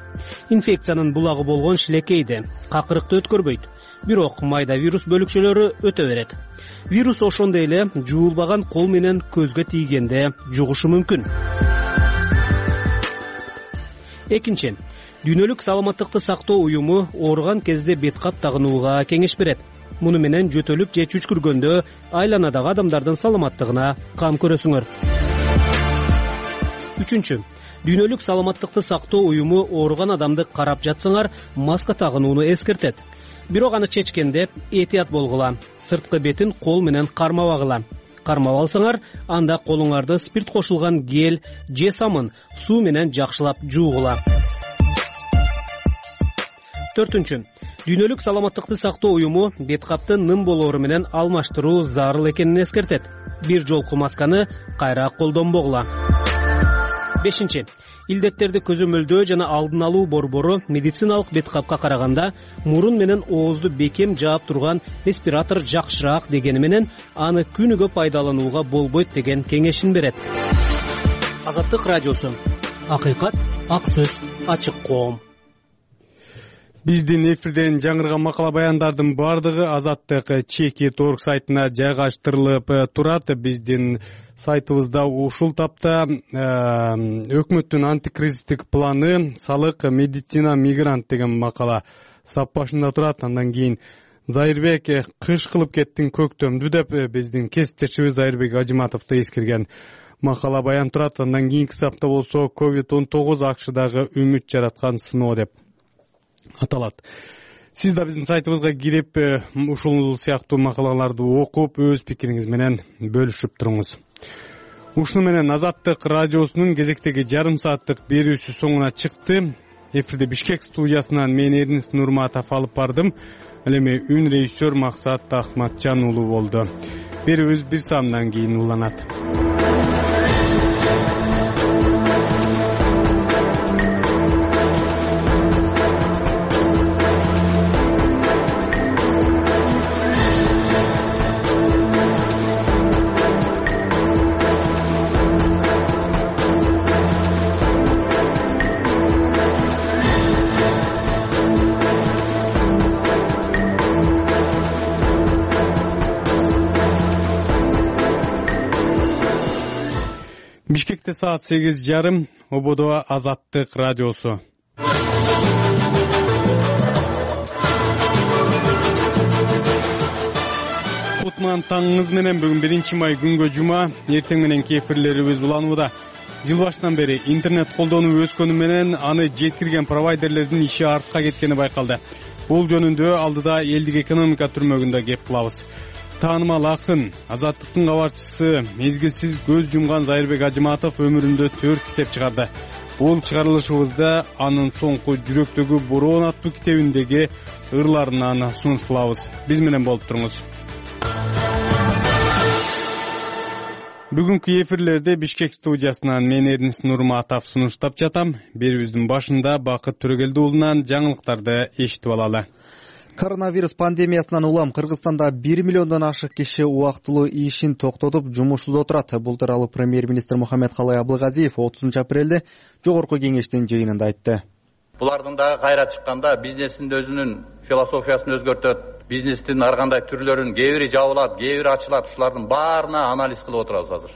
Инфекциянын булагы болгон шилекейди, какырыкты өткөрбөйт. Бирок майда вирус бөлүкчөлөрү өтө берет. Вирус ошондой эле жуулбаган кол менен көзгө тийгенде жугушу мүмкүн. Экинчи, дүйнөлүк саламаттыкты сактоо уюму ооруган кезде беткап тагынууга кеңеш берет. Муну менен жөтөлүп же чүчкүргөндө айланадагы адамдардын саламаттыгына кам көрөсүңөр. Үчүнчү, дүйнөлүк саламаттыкты сактоо уюму ооруган адамды карап жатсаңар, маска тагынууну эскертет. Бирок аны чечкенде этият болгула. Сырткы бетин кол менен кармабагыла. Кармап алсаңар, анда колуңарды спирт кошулган гель же самын суу менен жакшылап жуугула. Төртүнчү, дүйнөлүк саламаттыкты сактоо уюму беткапты нын болоору менен алмаштыруу зарыл экенин эскертет. Бир жолку масканы кайра колдонбогула. Бешинчи, илдеттерди көзөмөлдөө жана алдын алуу борбору медициналык беткапка караганда мурун менен оозду бекем жаап турган респиратор жакшыраак дегени менен аны күнүгө пайдаланууга болбойт деген кеңешин берет. Азаттык радиосу. Акыйкат, ак сөз, ачык коом. Биздин эфирден жаңырган макала баяндардын бардыгы Азаттык Чеки.org сайтына жайгаштырылып турат. Биздин сайтыбызда ушул тапта өкмөттүн антикризистик планы салык медицина мигрант деген макала сап башында турат. Андан кийин Зайырбек кыш кылып кеттиң көктөмдү деп биздин кесиптешибиз Зайырбек Ажыматовду эскерген макала баян турат. Андан кийинки сапта болсо COVID-19 АКШдагы үмүт жараткан сыноо деп аталат. Сиз да биздин сайтыбызга кирип, ушул сыяктуу макалаларды окуп, өз пикириңиз менен бөлүшүп туруңуз. Ушуну менен Азаттык радиосунун кезектеги жарым сааттык берүүсү соңуна чыкты. Эфирде Бишкек студиясынан мен Эрнис Нурматов алып бардым. Ал эми үн режиссер Максат Ахматжан уулу болду. Берүүбүз бир саамдан кийин уланат. Бишкекте саат 8:30, ободо Азаттык радиосу. Кутман таңыңыз менен, бүгүн 1 май күнгө жума, эртең мененки эфирлерибиз уланууда. Жыл башынан бери интернет колдонуу өскөнү менен аны жеткирген провайдерлердин иши артка кеткени байкалды. Бул жөнүндө алдыда элдик экономика түрмөгүндө кеп кылабыз. Таанымал акын, Азаттыктын кабарчысы, мезгилсиз көз жумган Зайырбек Ажыматов өмүрүндө 4 китеп чыгарды. Бул чыгарылышыбызда анын соңку жүрөктөгү бороон аттуу китебиндеги ырларынан сунуш кылабыз. Биз менен болуп туруңуз. Бүгүнкү эфирлерде Бишкек студиясынан мен Эрнис Нурматов сунуштап жатам. Берүүбүздүн башында Бакыт Төрөгелди уулунан жаңылыктарды эшитип алалы. Коронавирус пандемиясынан улам Кыргызстанда 1 миллиондон ашык киши убактылуу ишин токтотуп жумушсуз отурат. Бул тууралуу премьер-министр Мухаммедкалый Абылгазиев 30 апрелде жогорку кеңештин жыйынында айтты. Булардын дагы кайра чыкканда бизнестин өзүнүн философиясын өзгөртөт. Бизнестин ар кандай түрлөрүн кээ бири жабылат, кээ бири ачылат. Ушулардын баарына анализ кылып отурабыз азыр.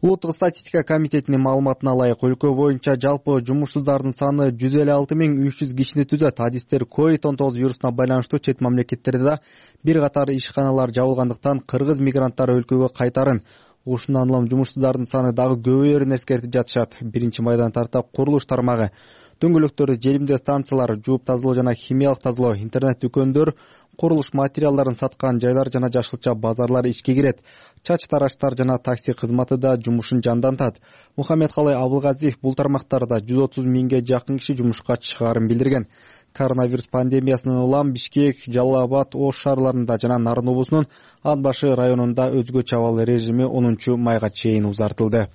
Улуттук статистика комитетинин маалыматына ылайык, өлкө боюнча жалпы жумушсуздардын саны 156.300 кишини түзөт. Адистер COVID-19 вирусуна байланыштуу чет мамлекеттерде да бир катар ишканалар жабылгандыктан кыргыз мигранттары өлкөгө кайтарын, ушундан улам жумушсуздардын саны дагы көбөйөрүн эскертип жатышат. 1 майдан тарта курулуш тармагы, дөңгөлөктөр, желимдөө станциялар, жууп тазалоо жана химиялык тазалоо, интернет дүкөндөр, курулуш материалдарын саткан жайлар жана жашылча базарлар ишке кирет. Чач тараштар жана такси кызматы да жумушун жандантат. Мухаммедкалый Абылгазиев бул тармактарда 130 миңге жакын киши жумушка чыгаарын билдирген. Коронавирус пандемиясынан улам Бишкек, Жалал Абад, Ош шаарларында жана Нарын облусунун Ат башы районунда өзгөчө абал режими 10 майга чейин узартылды.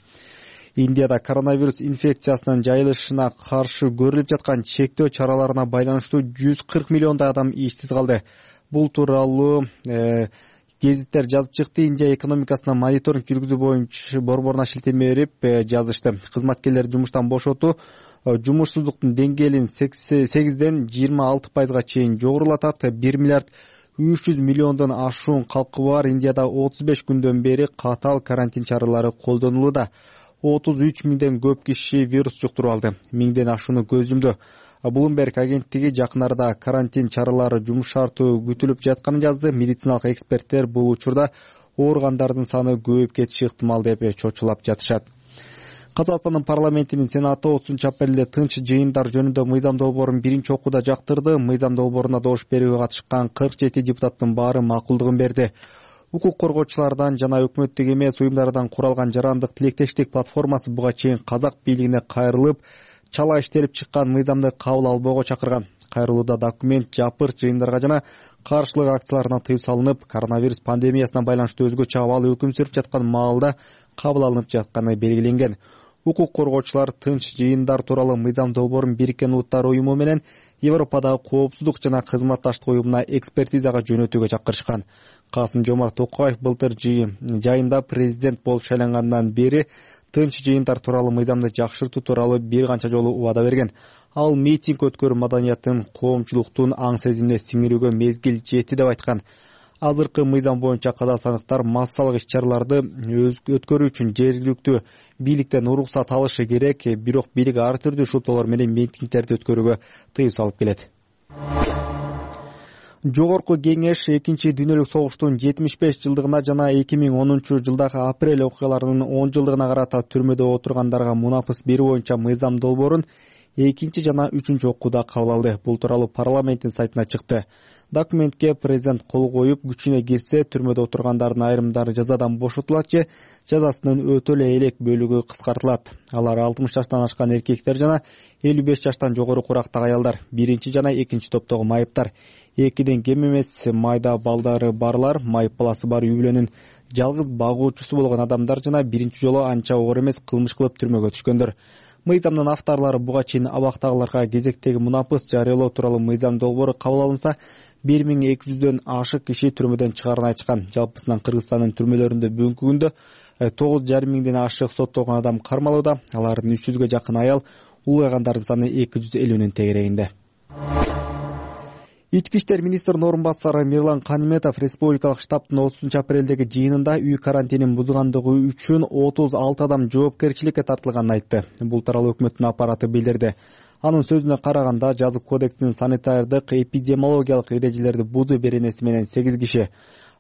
Индияда коронавирус инфекциясынын жайылышына каршы көрүлүп жаткан чектөө чараларына байланыштуу 140 миллиондай адам ишсиз калды. Бул тууралуу гезиттер жазып чыкты. Индия экономикасына мониторинг жүргүзүү боюнча борборуна шилтеме берип жазышты. Кызматкерлер жумуштан бошотуу жумушсуздуктун деңгээлин 8ден 26%га чейин жогорулатат. 1 миллиард 300 миллиондон ашуун калкы бар Индияда 35 күндөн бери катаал карантин чаралары колдонулууда. 33 миңден көп киши вирус жуктуруп алды. 1000ден ашууну көз жумду. Bloomberg агенттиги жакын арада карантин чаралары жумшартуу күтүлүп жатканын жазды. Медициналык эксперттер бул учурда ооругандардын саны көбөйүп кетиши ыктымал деп чочулап жатышат. Казакстандын парламентинин сенаты 30 апрелде тынч жыйындар жөнүндө мыйзам долбоорун биринчи окууда жактырды. Мыйзам долбооруна добуш берүүгө катышкан 47 депутаттын баары макулдугун берди. Укук коргоочулардан жана өкмөттүк эмес уюмдардан куралган жарандык тилектештик платформасы буга чейин казак бийлигине кайрылып, чала иштелип чыккан мыйзамды кабыл албоого чакырган. Кайрылууда документ жапырт жыйындарга жана каршылык акцияларына тыюу салынып, коронавирус пандемиясына байланыштуу өзгөчө абал өкүм сүрүп жаткан маалда кабыл алынып жатканы белгиленген. Укук коргоочулар тынч жыйындар тууралуу мыйзам долбоорун Бириккен Улуттар уюму менен Европадагы коопсуздук жана кызматташтык уюмуна экспертизага жөнөтүүгө чакырышкан. Касым-Жомарт Токаев былтыр жайында президент болуп шайлангандан бери тынч жыйындар тууралуу мыйзамды жакшыртуу тууралуу бир канча жолу убада берген. Ал митинг өткөрүү маданиятын, коомчулуктун аң сезимине сиңирүүгө мезгил жетти деп айткан. Азыркы мыйзам боюнча казакстандыктар массалык иш-чараларды өткөрүү үчүн жергиликтүү бийликтен уруксат алышы керек, бирок бийлик ар түрдүү шуптоолор менен митингдерди өткөрүүгө тыюу салып келет. Жогорку кеңеш 2 дүйнөлүк согуштун 75 жылдыгына жана 2010 жылдагы апрель окуяларынын 10 жылдыгына карата түрмөдө отургандарга мунапыс берүү боюнча мыйзам долбоорун 2 жана 3 окууда кабыл алды. Бул тууралуу парламенттин сайтына чыкты. Документке президент кол коюп, күчүнө кирсе түрмөдө отургандардын айрымдары жазадан бошотулат же жазасынын өтө эле элек бөлүгү кыскартылат. Алар 60 жаштан ашкан эркектер жана 55 жаштан жогору курактагы аялдар, биринчи жана экинчи топтогу майыптар, 2ден кем эмес майда балдары барлар, майып баласы бар үй бүлөнүн жалгыз багуучусу болгон адамдар жана биринчи жолу анча оор эмес кылмыш кылып түрмөгө түшкөндөр. Мыйзамдын авторлору буга чейин абактагыларга кезектеги мунапыс жарыялоо тууралуу мыйзам долбоору кабыл алынса 1200дөн ашык киши түрмөдөн чыгарын айтышкан. Жалпысынан Кыргызстандын түрмөлөрүндө бүгүнкү күндө 9,5 миңден ашык соттолгон адам кармалууда. Алардын 300гө жакын аял, улгайгандардын саны 250нин тегерегинде. Ички иштер министринин орун басары Мирлан Каниметов республикалык штабтын 30-апрелдеги жыйынында үй карантинин бузгандыгы үчүн 36 адам жоопкерчиликке тартылганын айтты. Бул тууралуу өкмөттүн аппараты билдирди. Анын сөзүнө караганда, жазык кодекстин санитардык эпидемиологиялык эрежелерди бузуу беренеси менен 8 киши,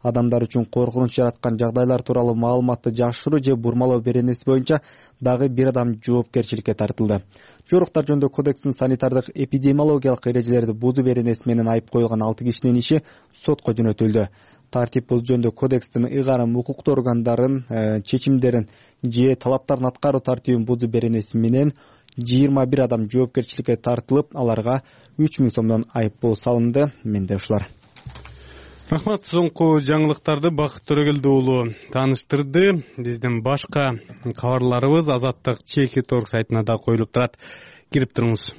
адамдар үчүн коркунуч жараткан жагдайлар тууралуу маалыматты жашыруу же бурмалоо беренеси боюнча дагы 1 адам жоопкерчиликке тартылды. Жоруктар жөнүндө кодекстин санитардык эпидемиологиялык эрежелерди бузуу беренеси менен айып коюлган 6 кишинин иши сотко жөнөтүлдү. Тартип бузуу жөнүндө кодекстин ыйгарым укуктуу органдарын чечимдерин же талаптарын аткаруу тартибин бузуу беренеси менен 21 адам жоопкерчиликке тартылып, аларга 3000 сомдон айыппул салынды. Менде ушулар. Рахмат. Соңку жаңылыктарды Бакыт Төрөгелди уулу тааныштырды. Биздин башка кабарларыбыз Азаттык Чеки.org сайтына да коюлуп турат. Кирип туруңуз.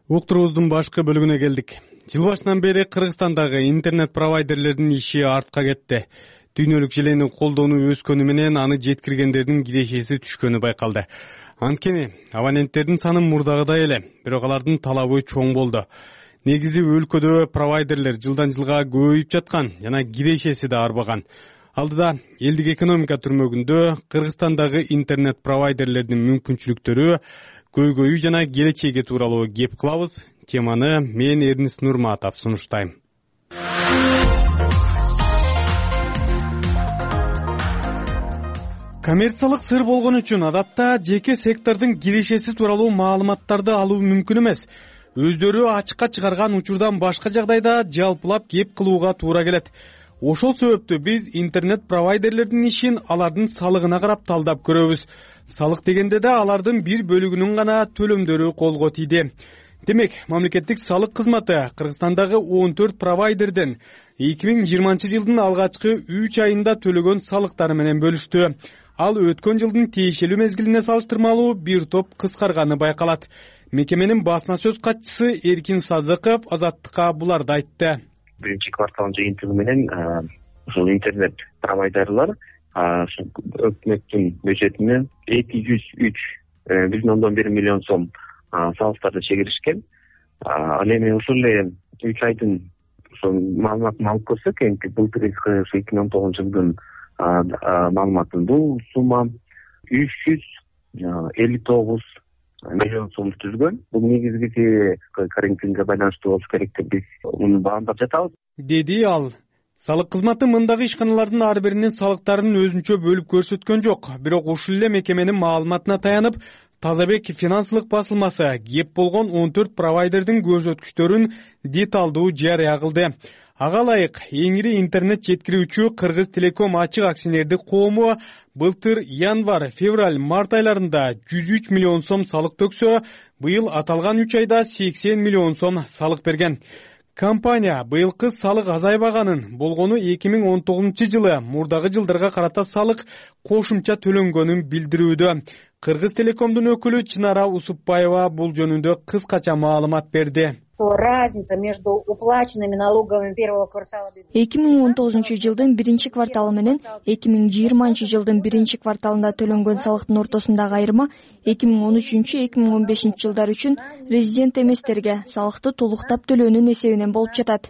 Уктуруубуздун башкы бөлүгүнө келдик. Жыл башынан бери Кыргызстандагы интернет провайдерлердин иши артка кетти. Дүйнөлүк желени колдонуу өскөнү менен аны жеткиргендердин кирешеси түшкөнү байкалды. Анткени абоненттердин саны мурдагыдай эле, бирок алардын талабы чоң болду. Негизи өлкөдө провайдерлер жылдан жылга көбөйүп жаткан жана кирешеси да арбаган. Алдыда элдик экономика түрмөгүндө Кыргызстандагы интернет провайдерлердин мүмкүнчүлүктөрү, көйгөйү жана келечеги тууралуу кеп кылабыз. Теманы мен Эрнис Нурматов сунуштайм. Коммерциялык сыр болгон үчүн адатта жеке сектордун кирешеси тууралуу маалыматтарды алуу мүмкүн эмес. Өздөрү ачыкка чыгарган учурдан башка жагдайда жалпылап кеп кылууга туура келет. Ошол себептүү биз интернет провайдерлердин ишин алардын салыгына карап талдап көрөбүз. Салык дегенде да алардын бир бөлүгүнүн гана төлөмдөрү колго тийди. Демек, мамлекеттик салык кызматы Кыргызстандагы 14 провайдерден 2020 жылдын алгачкы 3 айында төлөгөн салыктары менен бөлүштү. Ал өткөн жылдын тиешелүү мезгилине салыштырмалуу бир топ кыскарганы байкалат. Мекеменин басма сөз катчысы Эркин Сазыков Азаттыкка буларды айтты. Биринчи кварталдын жыйынтыгы менен ушул интернет провайдерлер өкмөттүн бюджетине 203,1 миллион сом салыктарды чегиришкен. Ал эми ушул эле 3 айдын маалыматын алып көрсөк, эми былтыр 2019 жылдын маалыматын бул сумма 359 миллион сом түзгөн. Бул негизги карантинге байланыштуу болуш керек деп биз муну баамдап жатабыз, деди ал. Салык кызматы мындагы ишканалардын ар биринин салыктарын өзүнчө бөлүп көрсөткөн жок. Бирок ушул эле мекеменин маалыматына таянып, Тазабек финансылык басылмасы кеп болгон 14 провайдердин көрсөткүчтөрүн деталдуу жарыя кылды. Ага ылайык эң ири интернет жеткирүүчү Кыргыз Телеком ачык акционердик коому былтыр январь, февраль, март айларында 103 миллион сом салык төксө, быйыл аталган 3 айда 80 миллион сом салык берген. Компания быйылкы салык азайбаганын, болгону 2019 жылы мурдагы жылдарга карата салык кошумча төлөнгөнүн билдирүүдө. Кыргыз Телекомдун өкүлү Чынара Усупбаева бул жөнүндө кыскача маалымат берди. Разница между уплаченными налогами первого квартала 2019 жылдын биринчи кварталы менен 2020 жылдын биринчи кварталында төлөнгөн салыктын ортосундагы айырма 2013-2015 жылдар үчүн резидент эместерге салыкты толуктап төлөөнүн эсебинен болуп жатат.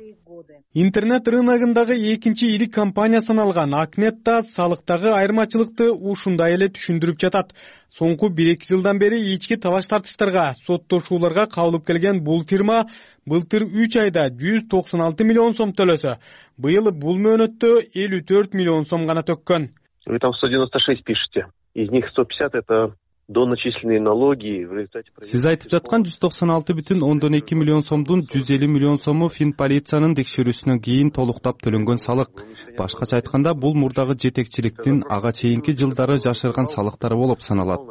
Интернет рыногундагы экинчи ири компания саналган Акнет да салыктагы айырмачылыкты ушундай эле түшүндүрүп жатат. Соңку 1-2 жылдан бери ички талаш-тартыштарга, соттошууларга кабылып келген бул фирма былтыр 3 айда 196 миллион сом төлөсө, быйыл бул мөөнөттө 54 миллион сом гана төккөн. Вы там 196 пишете. Из них 150 это доначисленные налоги. Сиз айтып жаткан 196,2 миллион сомдун 150 миллион сому Финполициянын текшерүүсүнөн кийин толуктап төлөнгөн салык. Башкача айтканда, бул мурдагы жетекчиликтин ага чейинки жылдары жашырган салыктары болуп саналат.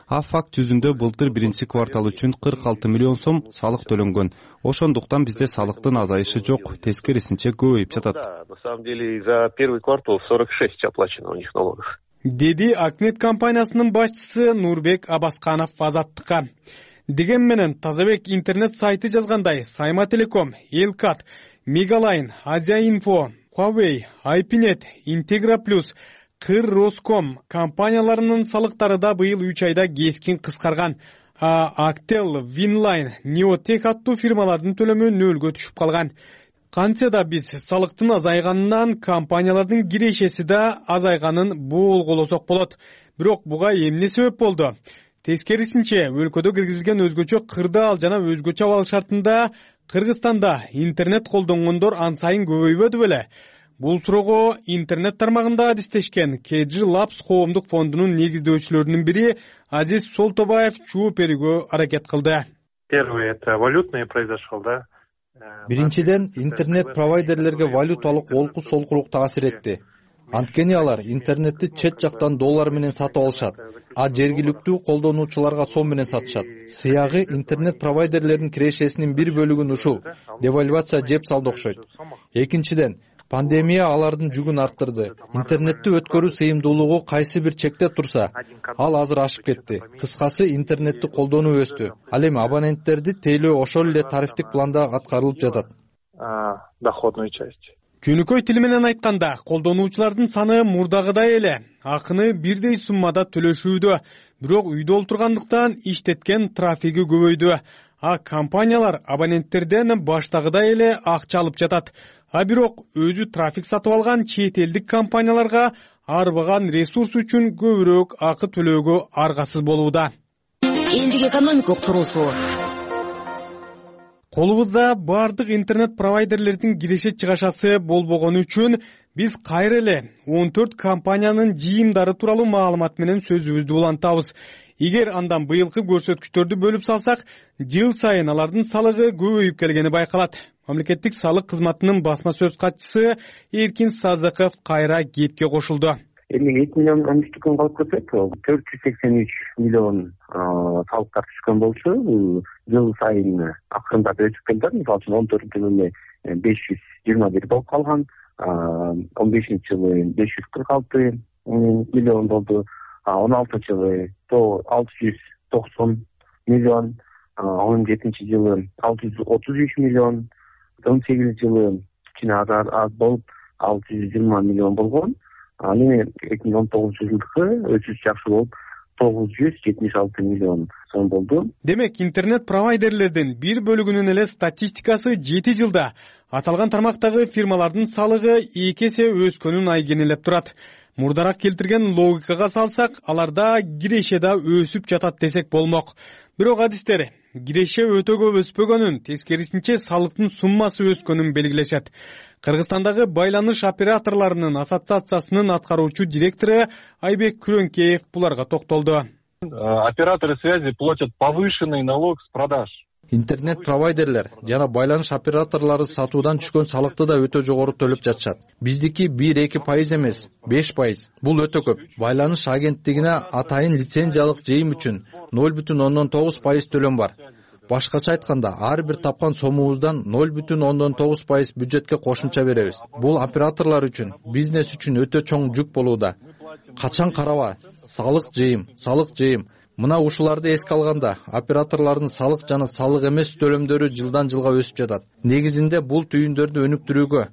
А факт жүзүндө былтыр биринчи квартал үчүн 46 миллион сом салык төлөнгөн. Ошондуктан бизде салыктын азайышы жок, тескерисинче көбөйүп жатат. На самом деле за первый квартал 46 оплачено у них налогов. Деди Акнет компаниясынын башчысы Нурбек Абасканов Азаттыкка. Деген менен Тазабек интернет сайты жазгандай, Сайма Телеком, Элкат, Мегалайн, Азия-Инфо, Huawei, Айпинет, Интегра Плюс, Кыр Роском компанияларынын салыктары да быйыл 3 айда кескин кыскарган. Actel, Winline, Neotech аттуу фирмалардын төлөмү нөлгө түшүп калган. Кантсе да биз салыктын азайганынан компаниялардын кирешеси да азайганын болголосок болот. Бирок буга эмне себеп болду? Тескерисинче, өлкөдө киргизилген өзгөчө кырдаал жана өзгөчө абал шартында Кыргызстанда интернет колдонгондор ан сайын көбөйбөдү беле? Бул суроого интернет тармагында адистешкен KG Labs коомдук фондунун негиздөөчүлөрүнүн бири Азиз Солтобаев жооп берүүгө аракет кылды. Первый это валютный произошел, да? Биринчиден, интернет провайдерлерге валюталык олку-солкулук таасир этти. Анткени алар интернетти чет жактан доллар менен сатып алышат, а жергиликтүү колдонуучуларга сом менен сатышат. Сыягы интернет провайдерлердин кирешесинин бир бөлүгүн ушул девальвация жеп салды окшойт. Экинчиден, пандемия алардын жүгүн арттырды. Интернетти өткөрүү сыйымдуулугу кайсы бир чекте турса, ал азыр ашып кетти. Кыскасы, интернетти колдонуу өстү. Ал эми абоненттерди тейлөө ошол эле тарифтик планда аткарылып жатат. Доходную часть. Жөнөкөй тил менен айтканда, колдонуучулардын саны мурдагыдай эле. Акыны бирдей суммада төлөшүүдө, бирок үйдө олтургандыктан иштеткен трафиги көбөйдү. А компаниялар абоненттерден баштагыдай эле акча алып жатат. А бирок өзү трафик сатып алган чет элдик компанияларга арбаган ресурс үчүн көбүрөөк акы төлөөгө аргасыз болууда. Элдик экономикалык туруусу. Колубузда бардык интернет провайдерлердин киреше чыгашасы болбогону үчүн биз кайра эле 14 компаниянын жыйымдары тууралуу маалымат менен сөзүбүздү улантабыз. Эгер андан быйылкы көрсөткүчтөрдү бөлүп салсак, жыл сайын алардын салыгы көбөйүп келгени байкалат. Мамлекеттик салык кызматынын басма сөз катчысы Эркин Сазыков кайра кепке кошулду. 2 миллион 13 күн калып кетсек, 483 миллион салыктар түшкөн болчу. Жыл сайын акырындап өсүп келди. Мисалы үчүн 14-жылы 521 болуп калган, 15-жылы 546 миллион болду, 16-жылы 690 миллион, 17-жылы 633 миллион, 18-жылы кичине аз болуп 620 миллион болгон. Эми 2019-жылдыкы өсүш жакшы болуп 976 миллион сом болду. Демек, интернет провайдерлердин бир бөлүгүнүн эле статистикасы 7 жылда аталган тармактагы фирмалардын салыгы 2 эсе өскөнүн айгинелеп турат. Мурдараак келтирген логикага салсак, аларда киреше да өсүп жатат десек болмок. Бирок адистер киреше өтө көп өспөгөнүн, тескерисинче салыктын суммасы өскөнүн белгилешет. Кыргызстандагы байланыш операторлорунун ассоциациясынын аткаруучу директору Айбек Күрөнкеев буларга токтолду. Операторы связи платят повышенный налог с продаж. Интернет-провайдерлер жана байланыш операторлору сатуудан түшкөн салыкты да өтө жогору төлөп жатышат. Биздики 1-2% эмес, 5%. Бул өтө көп. Байланыш агенттигине атайын лицензиялык жыйым үчүн 0,9% төлөм бар. Башкача айтканда, ар бир тапкан сомубуздан 0,9% бюджетке кошумча беребиз. Бул операторлор үчүн, бизнес үчүн өтө чоң жүк болууда. Качан караба, салык жыйым. Мына ушуларды эске алганда, операторлордун салык жана салык эмес төлөмдөрү жылдан жылга өсүп жатат. Негизинде бул түйүндөрдү өнүктүрүүгө,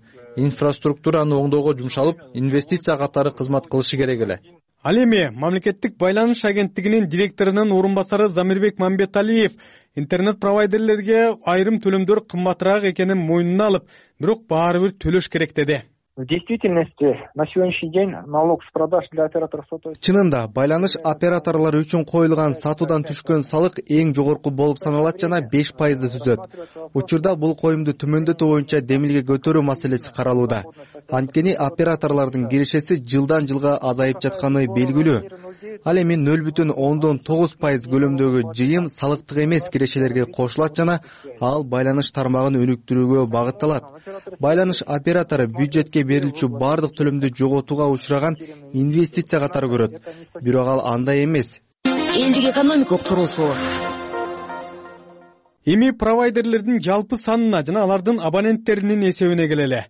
инфраструктураны оңдоого жумшалып, инвестиция катары кызмат кылышы керек эле. Ал эми мамлекеттик байланыш агенттигинин директорунун орун басары Замирбек Мамбеталиев интернет провайдерлерге айрым төлөмдөр кымбатыраак экенин мойнуна алып, бирок баары бир төлөш керек деди. В действительности, на сегодняшний день налог с продаж для операторов сотовой связи. Чынында, байланыш операторлору үчүн коюлган сатуудан түшкөн салык эң жогорку болуп саналат жана 5%ды түзөт. Учурда бул коюмду төмөндөтүү боюнча демилге көтөрүү маселеси каралууда. Анткени операторлордун кирешеси жылдан жылга азайып жатканы белгилүү. Ал эми 0,9% көлөмдөгү жыйым салыктык эмес кирешелерге кошулат жана ал байланыш тармагын өнүктүрүүгө багытталат. Байланыш оператору бюджетке берилчү бардык төлөмдү жоготууга учураган инвестиция катары көрөт. Бирок ал андай эмес. Элдик экономикалык туруусу. Эми провайдерлердин жалпы санына жана алардын абоненттеринин эсебине келели.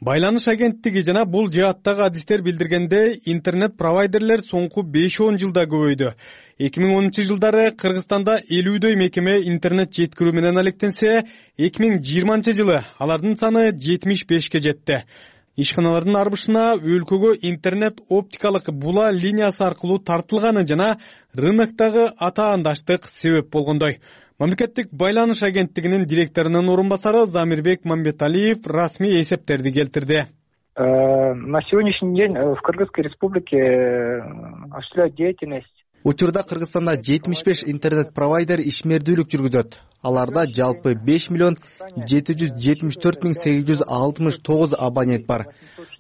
Байланыш агенттиги жана бул жааттагы адистер билдиргенде, интернет провайдерлер соңку 5-10 жылда көбөйдү. 2010-жылдары Кыргызстанда 50дөй мекеме интернет жеткирүү менен алектенсе, 2020 жылы алардын саны 75ке жетти. Ишканалардын арбышына өлкөгө интернет оптикалык була линиясы аркылуу тартылганы жана рыноктогу атаандаштык себеп болгондой. Мамлекеттик байланыш агенттигинин директорунун орун басары Замирбек Мамбеталиев расмий эсептерди келтирди. На сегодняшний день в Кыргызской республике осуществляют деятельность. Учурда Кыргызстанда 75 интернет-провайдер ишмердүүлүк жүргүзөт. Аларда жалпы 5,774,869 абонент бар.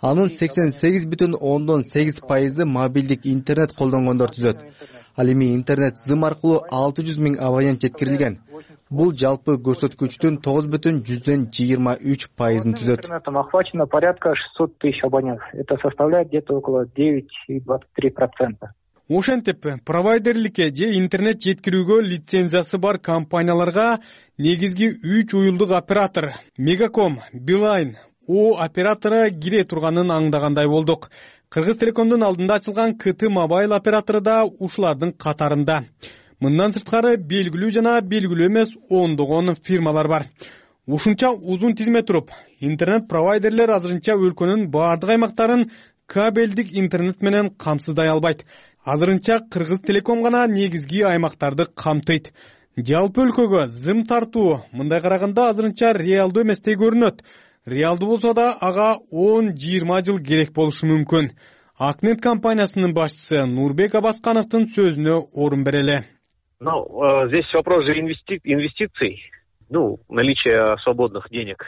Анын 88,8% мобилдик интернет колдонгондор түзөт. Ал эми интернет зым аркылуу 600,000 абонент жеткирилген. Бул жалпы көрсөткүчтүн 9,23% түзөт. Интернетом охвачено порядка 600 тысяч абонентов. Это составляет где-то около 9,23%. Ошентип, провайдерликке же интернет жеткирүүгө лицензиясы бар компанияларга негизги 3 уюлдук оператор Мегаком, Билайн, О оператору кире турганын аңдагандай болдук. Кыргыз Телекомдун алдында ачылган КТ Мобайл оператору да ушулардын катарында. Мындан сырткары белгилүү жана белгилүү эмес ондогон фирмалар бар. Ушунча узун тизме туруп, интернет провайдерлер азырынча өлкөнүн баардык аймактарын кабелдик интернет менен камсыздай албайт. Азырынча Кыргыз Телеком гана негизги аймактарды камтыйт. Жалпы өлкөгө зым тартуу мындай караганда азырынча реалдуу эместей көрүнөт. Реалдуу болсо да ага 10-20 жыл керек болушу мүмкүн. Акнет компаниясынын башчысы Нурбек Абаскановдун сөзүнө орун берели. Здесь вопрос же инвестиций, наличие свободных денег.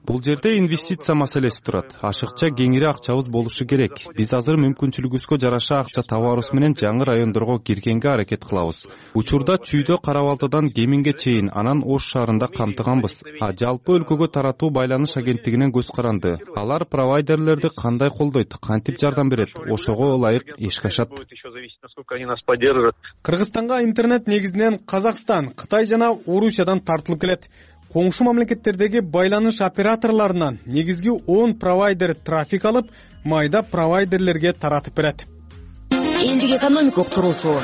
Бул жерде инвестиция маселеси турат. Ашыкча кеңири акчабыз болушу керек. Биз азыр мүмкүнчүлүгүбүзгө жараша акча табарыбыз менен жаңы райондорго киргенге аракет кылабыз. Учурда Чүйдө, Кара-Балтадан Кеминге чейин, анан Ош шаарында камтыганбыз. Жалпы өлкөгө таратуу байланыш агенттигинен көз каранды. Алар провайдерлерди кандай колдойт, кантип жардам берет, ошого ылайык иш кашат. Кыргызстанга интернет негизинен Казакстан, Кытай жана Орусиядан тартылып келет. Коңшу мамлекеттердеги байланыш операторлорунан негизги 10 провайдер трафик алып, майда провайдерлерге таратып берет. Элдик экономика уктуруусу.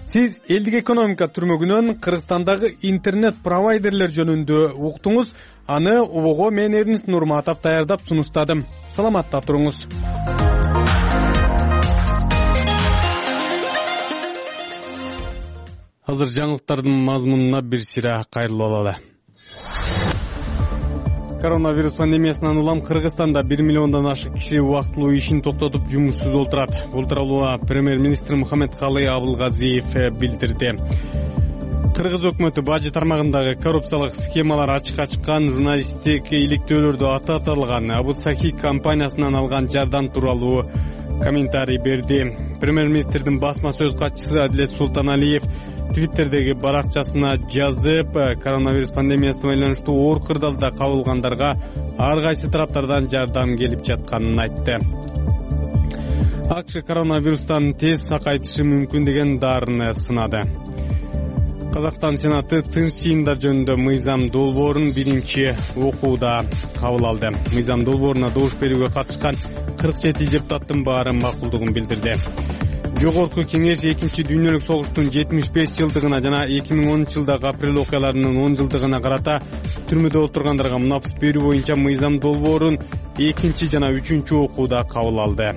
Сиз элдик экономика түрмөгүнөн Кыргызстандагы интернет провайдерлер жөнүндө уктуңуз. Аны обого мен Эрнест Нурматов даярдап сунуштадым. Саламатта туруңуз. Азыр жаңылыктардын мазмунуна бир сыйра кайрылып алалы. Коронавирус пандемиясынан улам Кыргызстанда 1 миллиондон ашык киши убактылуу ишин токтотуп жумушсуз отурат. Бул тууралуу премьер-министр Мухаммедкалый Абылгазиев билдирди. Кыргыз өкмөтү бажы тармагындагы коррупциялык схемалар ачыкка чыккан, журналисттик иликтөөлөрдү аталган Абу Сахи компаниясынан алган жардам тууралуу комментарий берди. Премьер-министрдин басма сөз катчысы Адилет Султаналиев Твиттердеги баракчасына жазып, коронавирус пандемиясына байланыштуу оор кырдаалда кабылгандарга ар кайсы тараптардан жардам келип жатканын айтты. АКШ коронавирустан тез сакайтышы мүмкүн деген дарыны сынады. Казакстан Сенаты тынч жыйындар жөнүндө мыйзам долбоорун биринчи окууда кабыл алды. Мыйзам долбооруна добуш берүүгө катышкан 47 депутаттын баары макулдугун билдирди. Жогорку кеңеш 2 дүйнөлүк согуштун 75 жылдыгына жана 2010-жылдагы апрель окуяларынын 10 жылдыгына карата түрмөдө отургандарга мунапс берүү боюнча мыйзам долбоорун 2 жана 3 окууда кабыл алды.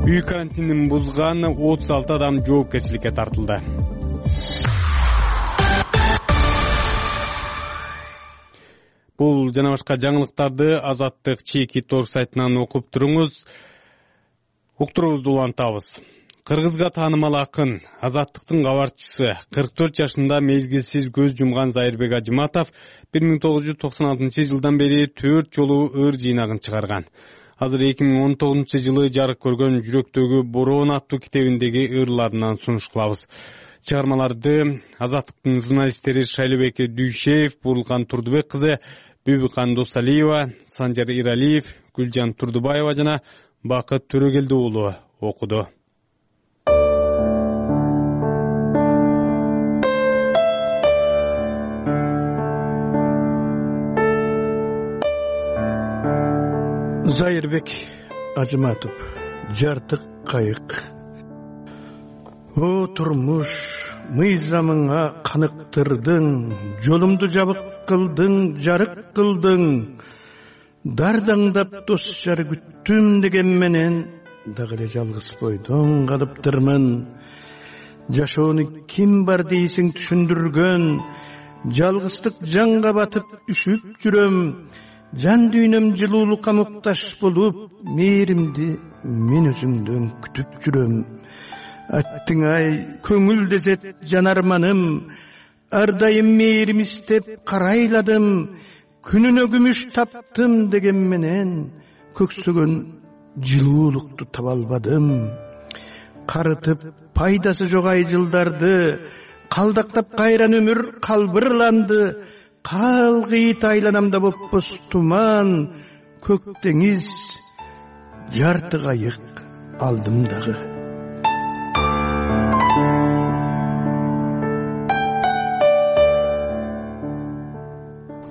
Үй карантинин бузган 36 адам жоопкерчиликке тартылды. Бул жана башка жаңылыктарды Азаттык чеки торг сайтынан окуп туруңуз. Уктуруубузду улантабыз. Кыргызга таанымал акын, Азаттыктын кабарчысы, 44 жашында мезгилсиз көз жумган Зайырбек Ажыматов 1996-жылдан бери 4 жолу өр жыйнагын чыгарган. Азыр 2019-жылы жарык көргөн Жүрөктөгү бороон аттуу китебиндеги ырларынан сунуш кылабыз. Чыгармаларды Азаттыктын журналисттери Шайлыбек Дүйшеев, Бурулкан Турдубек кызы, Бүбүкан Досалиева, Санжар Иралиев, Гүлжан Турдубаева жана Бакыт Төрөгелди уулу окуду. Зайырбек Ажыматов, жартык кайык. О турмуш, мыйзамыңа каныктырдың, жолумду жабык кылдың, жарык кылдың. Дардаңдап дос жар күттүм деген менен дагы эле жалгыз бойдон калыптырмын. Жашоону ким бар дейсиң түшүндүргөн, жалгыздык жанга батып үшүп жүрөм. Жан дүйнөм жылуулукка муктаж болуп, мээримди мен өзүңдөн күтүп жүрөм. Аттың ай көңүл дезет жан арманым, ар дайым мээрим истеп карайладым. Күнүнө күмүш таптым деген менен көксөгөн жылуулукту таба албадым. Карытып пайдасы жок ай жылдарды, калдактап кайран өмүр калбырланды. Калгыйт айланамда боппос туман, көк деңиз жарты кайык алдым дагы.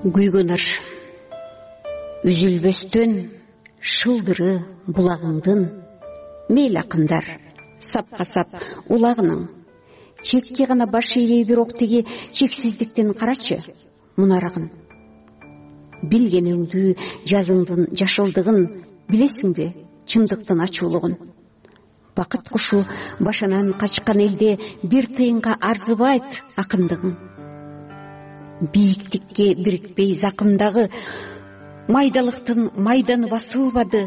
Күйгөнөр үзүлбөстөн шылдыры булагыңдын, мейл акындар сапка сап улагының. Чекке гана баш ийбей бирок тиги чексиздиктен карачы мунарагын. Билгениңдүү жазыңдын жашылдыгын, билесиңби чындыктын ачуулугун. Бакыт кушу башынан качкан элде бир тыйынга арзыбайт акындыгың. Бийиктикке бирикпей закымдагы майдалыктын майданы басылбады.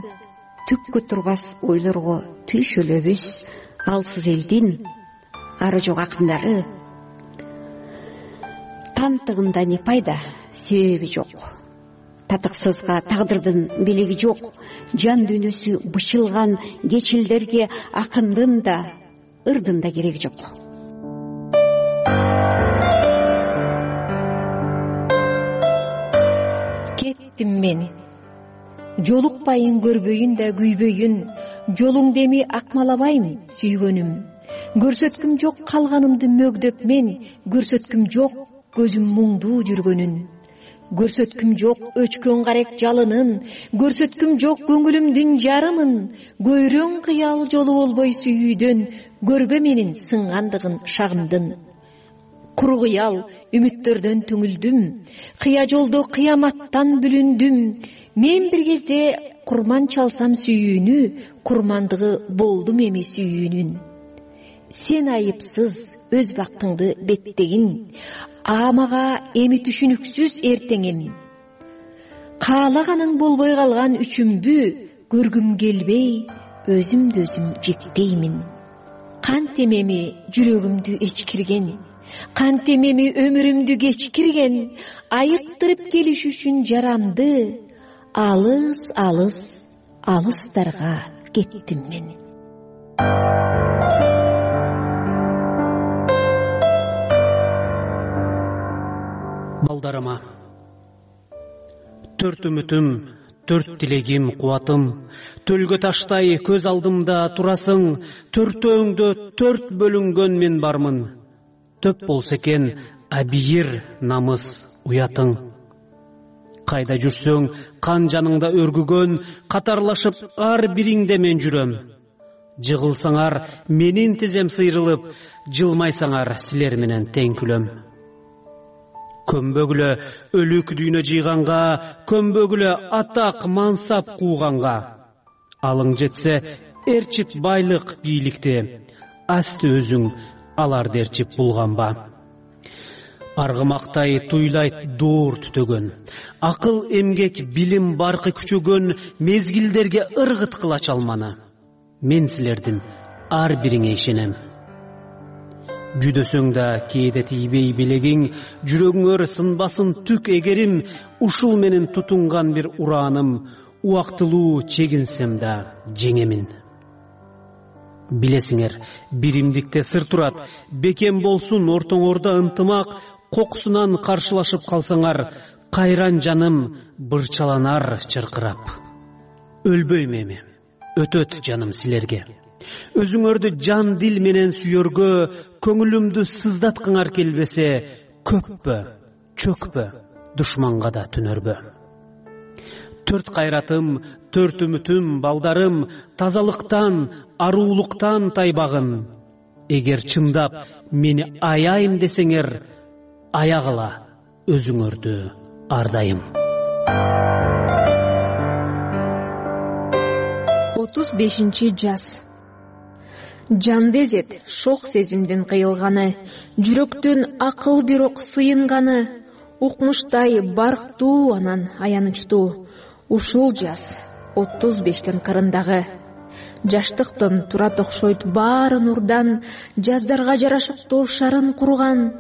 Түккө турбас ойлорго түйшөлөбүз алсыз элдин ары жок акындары. Тантыгында не пайда, себеби жок. Татыксызга тагдырдын белеги жок. Жан дүйнөсү бышылган кечилдерге акындын да, ырдын да кереги жок. Кеттим мен. Жолукпайын көрбөйүн да күйбөйүн, жолуңду эми акмалабайм сүйгөнүм. Көрсөткүм жок калганымды мөгдөп мен, көрсөткүм жок көзүм муңдуу жүргөнүн. Көрсөткүм жок өчкөн карек жалынын, көрсөткүм жок көңүлүмдүн жарымын. Көйрөң кыял жолу болбой сүйүүдөн, көрбө менин сынгандыгын шагымдын. Куру кыял үмүттөрдөн түңүлдүм, кыя жолдо кыяматтан бүлүндүм. Мен бир кезде курман чалсам сүйүүнү, курмандыгы болдум эми сүйүүнүн. Сен айыпсыз өз бактыңды беттегин, мага эми түшүнүксүз эртеңем. Каалаганың болбой калган үчүмбү, көргүм келбей өзүмдү өзүм жектеймин. Кантем эми жүрөгүмдү эчкирген, кантем эми өмүрүмдү кечкирген, айыктырып келиш үчүн жарамды, алыс алыс алыстарга кеттим мен. Балдарыма, төрт үмүтүм, төрт тилегим, кубатым, төлгө таштай көз алдымда турасың, төртөөңдө төрт бөлүнгөн мен бармын. Төп болсо экен абийир намыс уятың. Кайда жүрсөң, кан жаныңда өргүгөн, катарлашып ар бириңде мен жүрөм. Жыгылсаңар, менин тизем сыйрылып, жылмайсаңар, силер менен тең күлөм. Көмбөгүлө өлүк дүйнө жыйганга, көмбөгүлө атак мансап кууганга. Алың жетсе, эрчит байлык бийликти, асты өзүң аларды эрчип булганба. Аргымактай туйлайт дуур түтөгөн, акыл эмгек билим баркы күчөгөн, мезгилдерге ыргыт кылач алманы. Мен силердин ар бириңе ишенем. Жүдөсөң да кээде тийбей белегиң, жүрөгүңөр сынбасын түк эгерим, ушул менен тутунган бир урааным, убактылуу чегинсем да жеңемин. Билесиңер, биримдикте сыр турат, бекем болсун ортоңордо ынтымак, кокусунан каршылашып калсаңар, кайран жаным бырчаланар чыркырап. Өлбөйм эми, өтөт жаным силерге. Өзүңөрдү жан дил менен сүйөргө, көңүлүмдү сыздаткыңар келбесе, көппө, чөкпө, душманга да түнөрбө. Төрт кайратым, төрт үмүтүм, балдарым, тазалыктан, аруулуктан тайбагын. Эгер чындап мени аяйм десеңер, аягыла, өзүңөрдү ар дайым. 35 жаз. Жанды эзет шок сезимдин кыйылганы, жүрөктөн акыл бирок сыйынганы, укмуштай барктуу анан аянычтуу. Ушул жаз 35тин кырындагы. Жаштыктын турат окшойт баары нурдан, жаздарга жарашыктуу шарын курган.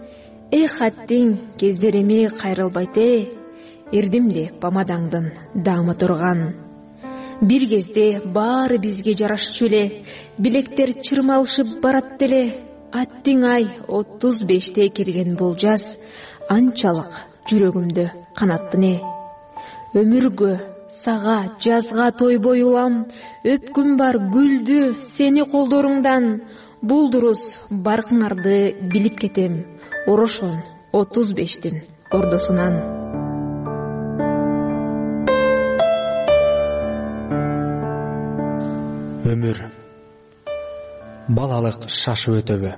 Хаттиң кездериме кайрылбайт эрдимде помадаңдын даамы турган. Бир кезде баары бизге жарашчу эле, билектер чырмалышып барат деле. Аттиң ай 35те келген бул жаз, анчалык жүрөгүмдү канаттыне. Өмүргө, сага, жазга тойбой улам, өпкүм бар гүлдү сени колдоруңдан. Бул дурус баркыңарды билип кетем, орошон 35тин ордосунан. Өмүр балалык шашып өтөбү,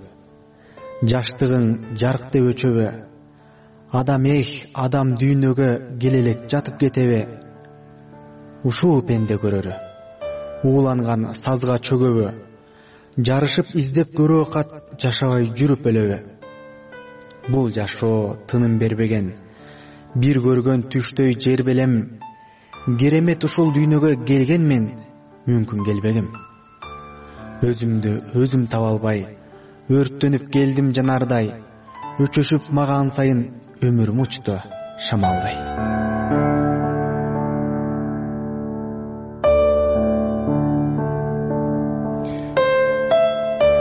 жаштыгың жарыктеп өчөбү, адам адам дүйнөгө келелек жатып кетеби, ушул пенде көрөрү, ууланган сазга чөгөбү, жарышып издеп көрүү кат жашабай жүрүп өлөбү. Бул жашоо тыным бербеген, бир көргөн түштөй жер белем, керемет ушул дүйнөгө келгенмен мүмкүн келбегим. Өзүмдү өзүм таба албай, өрттөнүп келдим жанардай, өчөшүп маган сайын өмүрүм учту шамалдай.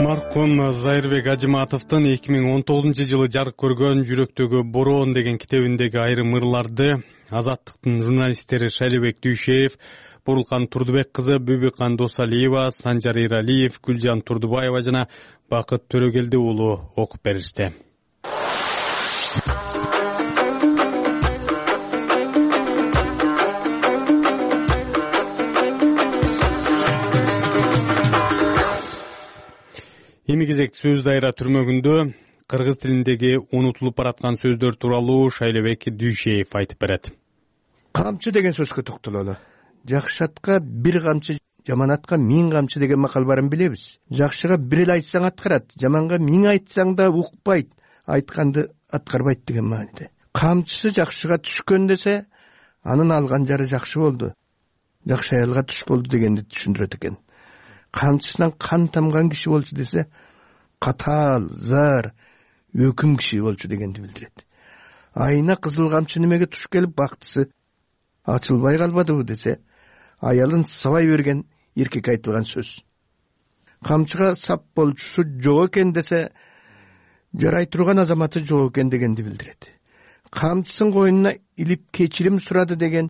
Маркум Зайырбек Ажыматовдун 2019-жылы жарык көргөн Жүрөктөгү бороон деген китебиндеги айрым ырларды Азаттыктын журналисттери Шайлебек Дүйшеев, Бурулкан Турдубек кызы, Бүбүкан Досалиева, Санжар Иралиев, Гүлжан Турдубаева жана Бакыт Төрөгелди уулу окуп беришти. Эми кезек сөз дайра түрмөгүндө кыргыз тилиндеги унутулуп бараткан сөздөр тууралуу Шайлебек Дүйшеев айтып берет. Камчы деген сөзгө токтололу. Жакшы атка бир камчы, жаман атка 1000 камчы деген макал барын билебиз. Жакшыга бир эле айтсаң аткарат, жаманга 1000 айтсаң да укпайт, айтканды аткарбайт деген мааниде. Камчысы жакшыга түшкөн десе, анын алган жары жакшы болду. Жакшы аялга түш болду дегенди түшүндүрөт экен. Камчысынан кан тамган киши болчу десе, катаал, зар, өкүм киши болчу дегенди билдирет. Айына кызыл камчы немеге туш келип бактысы ачылбай калбадыбы десе, аялын сабай берген эркек айтылган сөз. Камчыга сап болчусу жок экен десе, жарай турган азаматы жок экен дегенди билдирет. Камчысын койнуна илип кечирим сурады деген,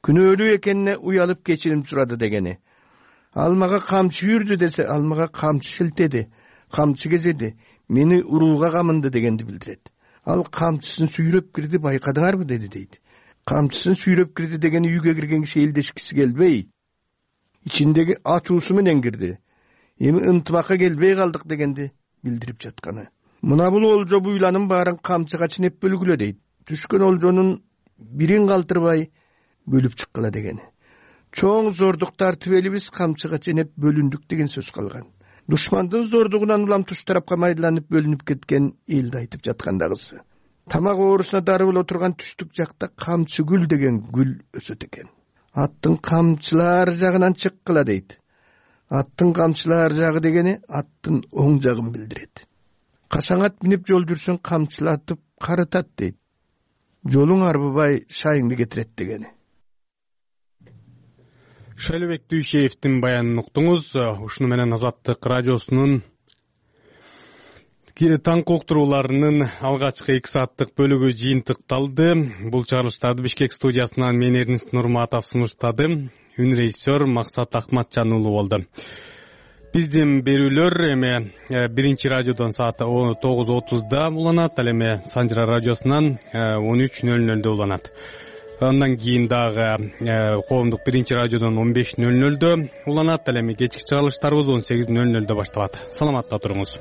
күнөөлүү экенине уялып кечирим сурады дегени. Алмага камчы үрдү десе, алмага камчы шилтеди, камчы кезеди, мени урууга камынды дегенди билдирет. Ал камчысын сүйрөп кирди, байкадыңарбы деди дейт. Камчысын сүйрөп кирди дегени үйгө кирген киши элдешкиси келбей, ичиндеги ачуусу менен кирди. Эми ынтыбакка келбей калдык дегенди билдирип жатканы. Мына бул олжо буйланын баарын камчыга ченеп бөлгүлө дейт. Түшкөн олжонун бирин калтырбай бөлүп чыккыла дегени. Чоң зордук тартып элибиз камчыга ченеп бөлүндүк деген сөз калган. Душмандын зордугунан улам туш тарапка майдаланып бөлүнүп кеткен элди айтып жаткандагысы. Тамак оорусуна дары боло турган түштүк жакта камчы гүл деген гүл өсөт экен. Аттын камчылар жагынан чыккыла дейт. Аттын камчылар жагы дегени аттын оң жагын билдирет. Кашаң ат минип жол жүрсөң камчылатып карытат дейт. Жолуң арбыбай шайыңды кетирет дегени. Шайлебек Дүйшеевдин баянын уктуңуз. Ушуну менен Азаттык радиосунун таңкы уктурууларынын алгачкы 2 сааттык бөлүгү жыйынтыкталды. Бул чыгарылыштарды Бишкек студиясынан мен Эрнест Нурматов сунуштадым. Үн режиссер Максат Акматжан уулу болду. Биздин берүүлөр эми биринчи радиодон саат 9:30да уланат, ал эми Санжара радиосунан 13:00дө уланат. Андан кийин дагы коомдук биринчи радиодон 15:00дө уланат, ал эми кечки чыгарылыштарыбыз 18:00дө башталат. Саламатта туруңуз.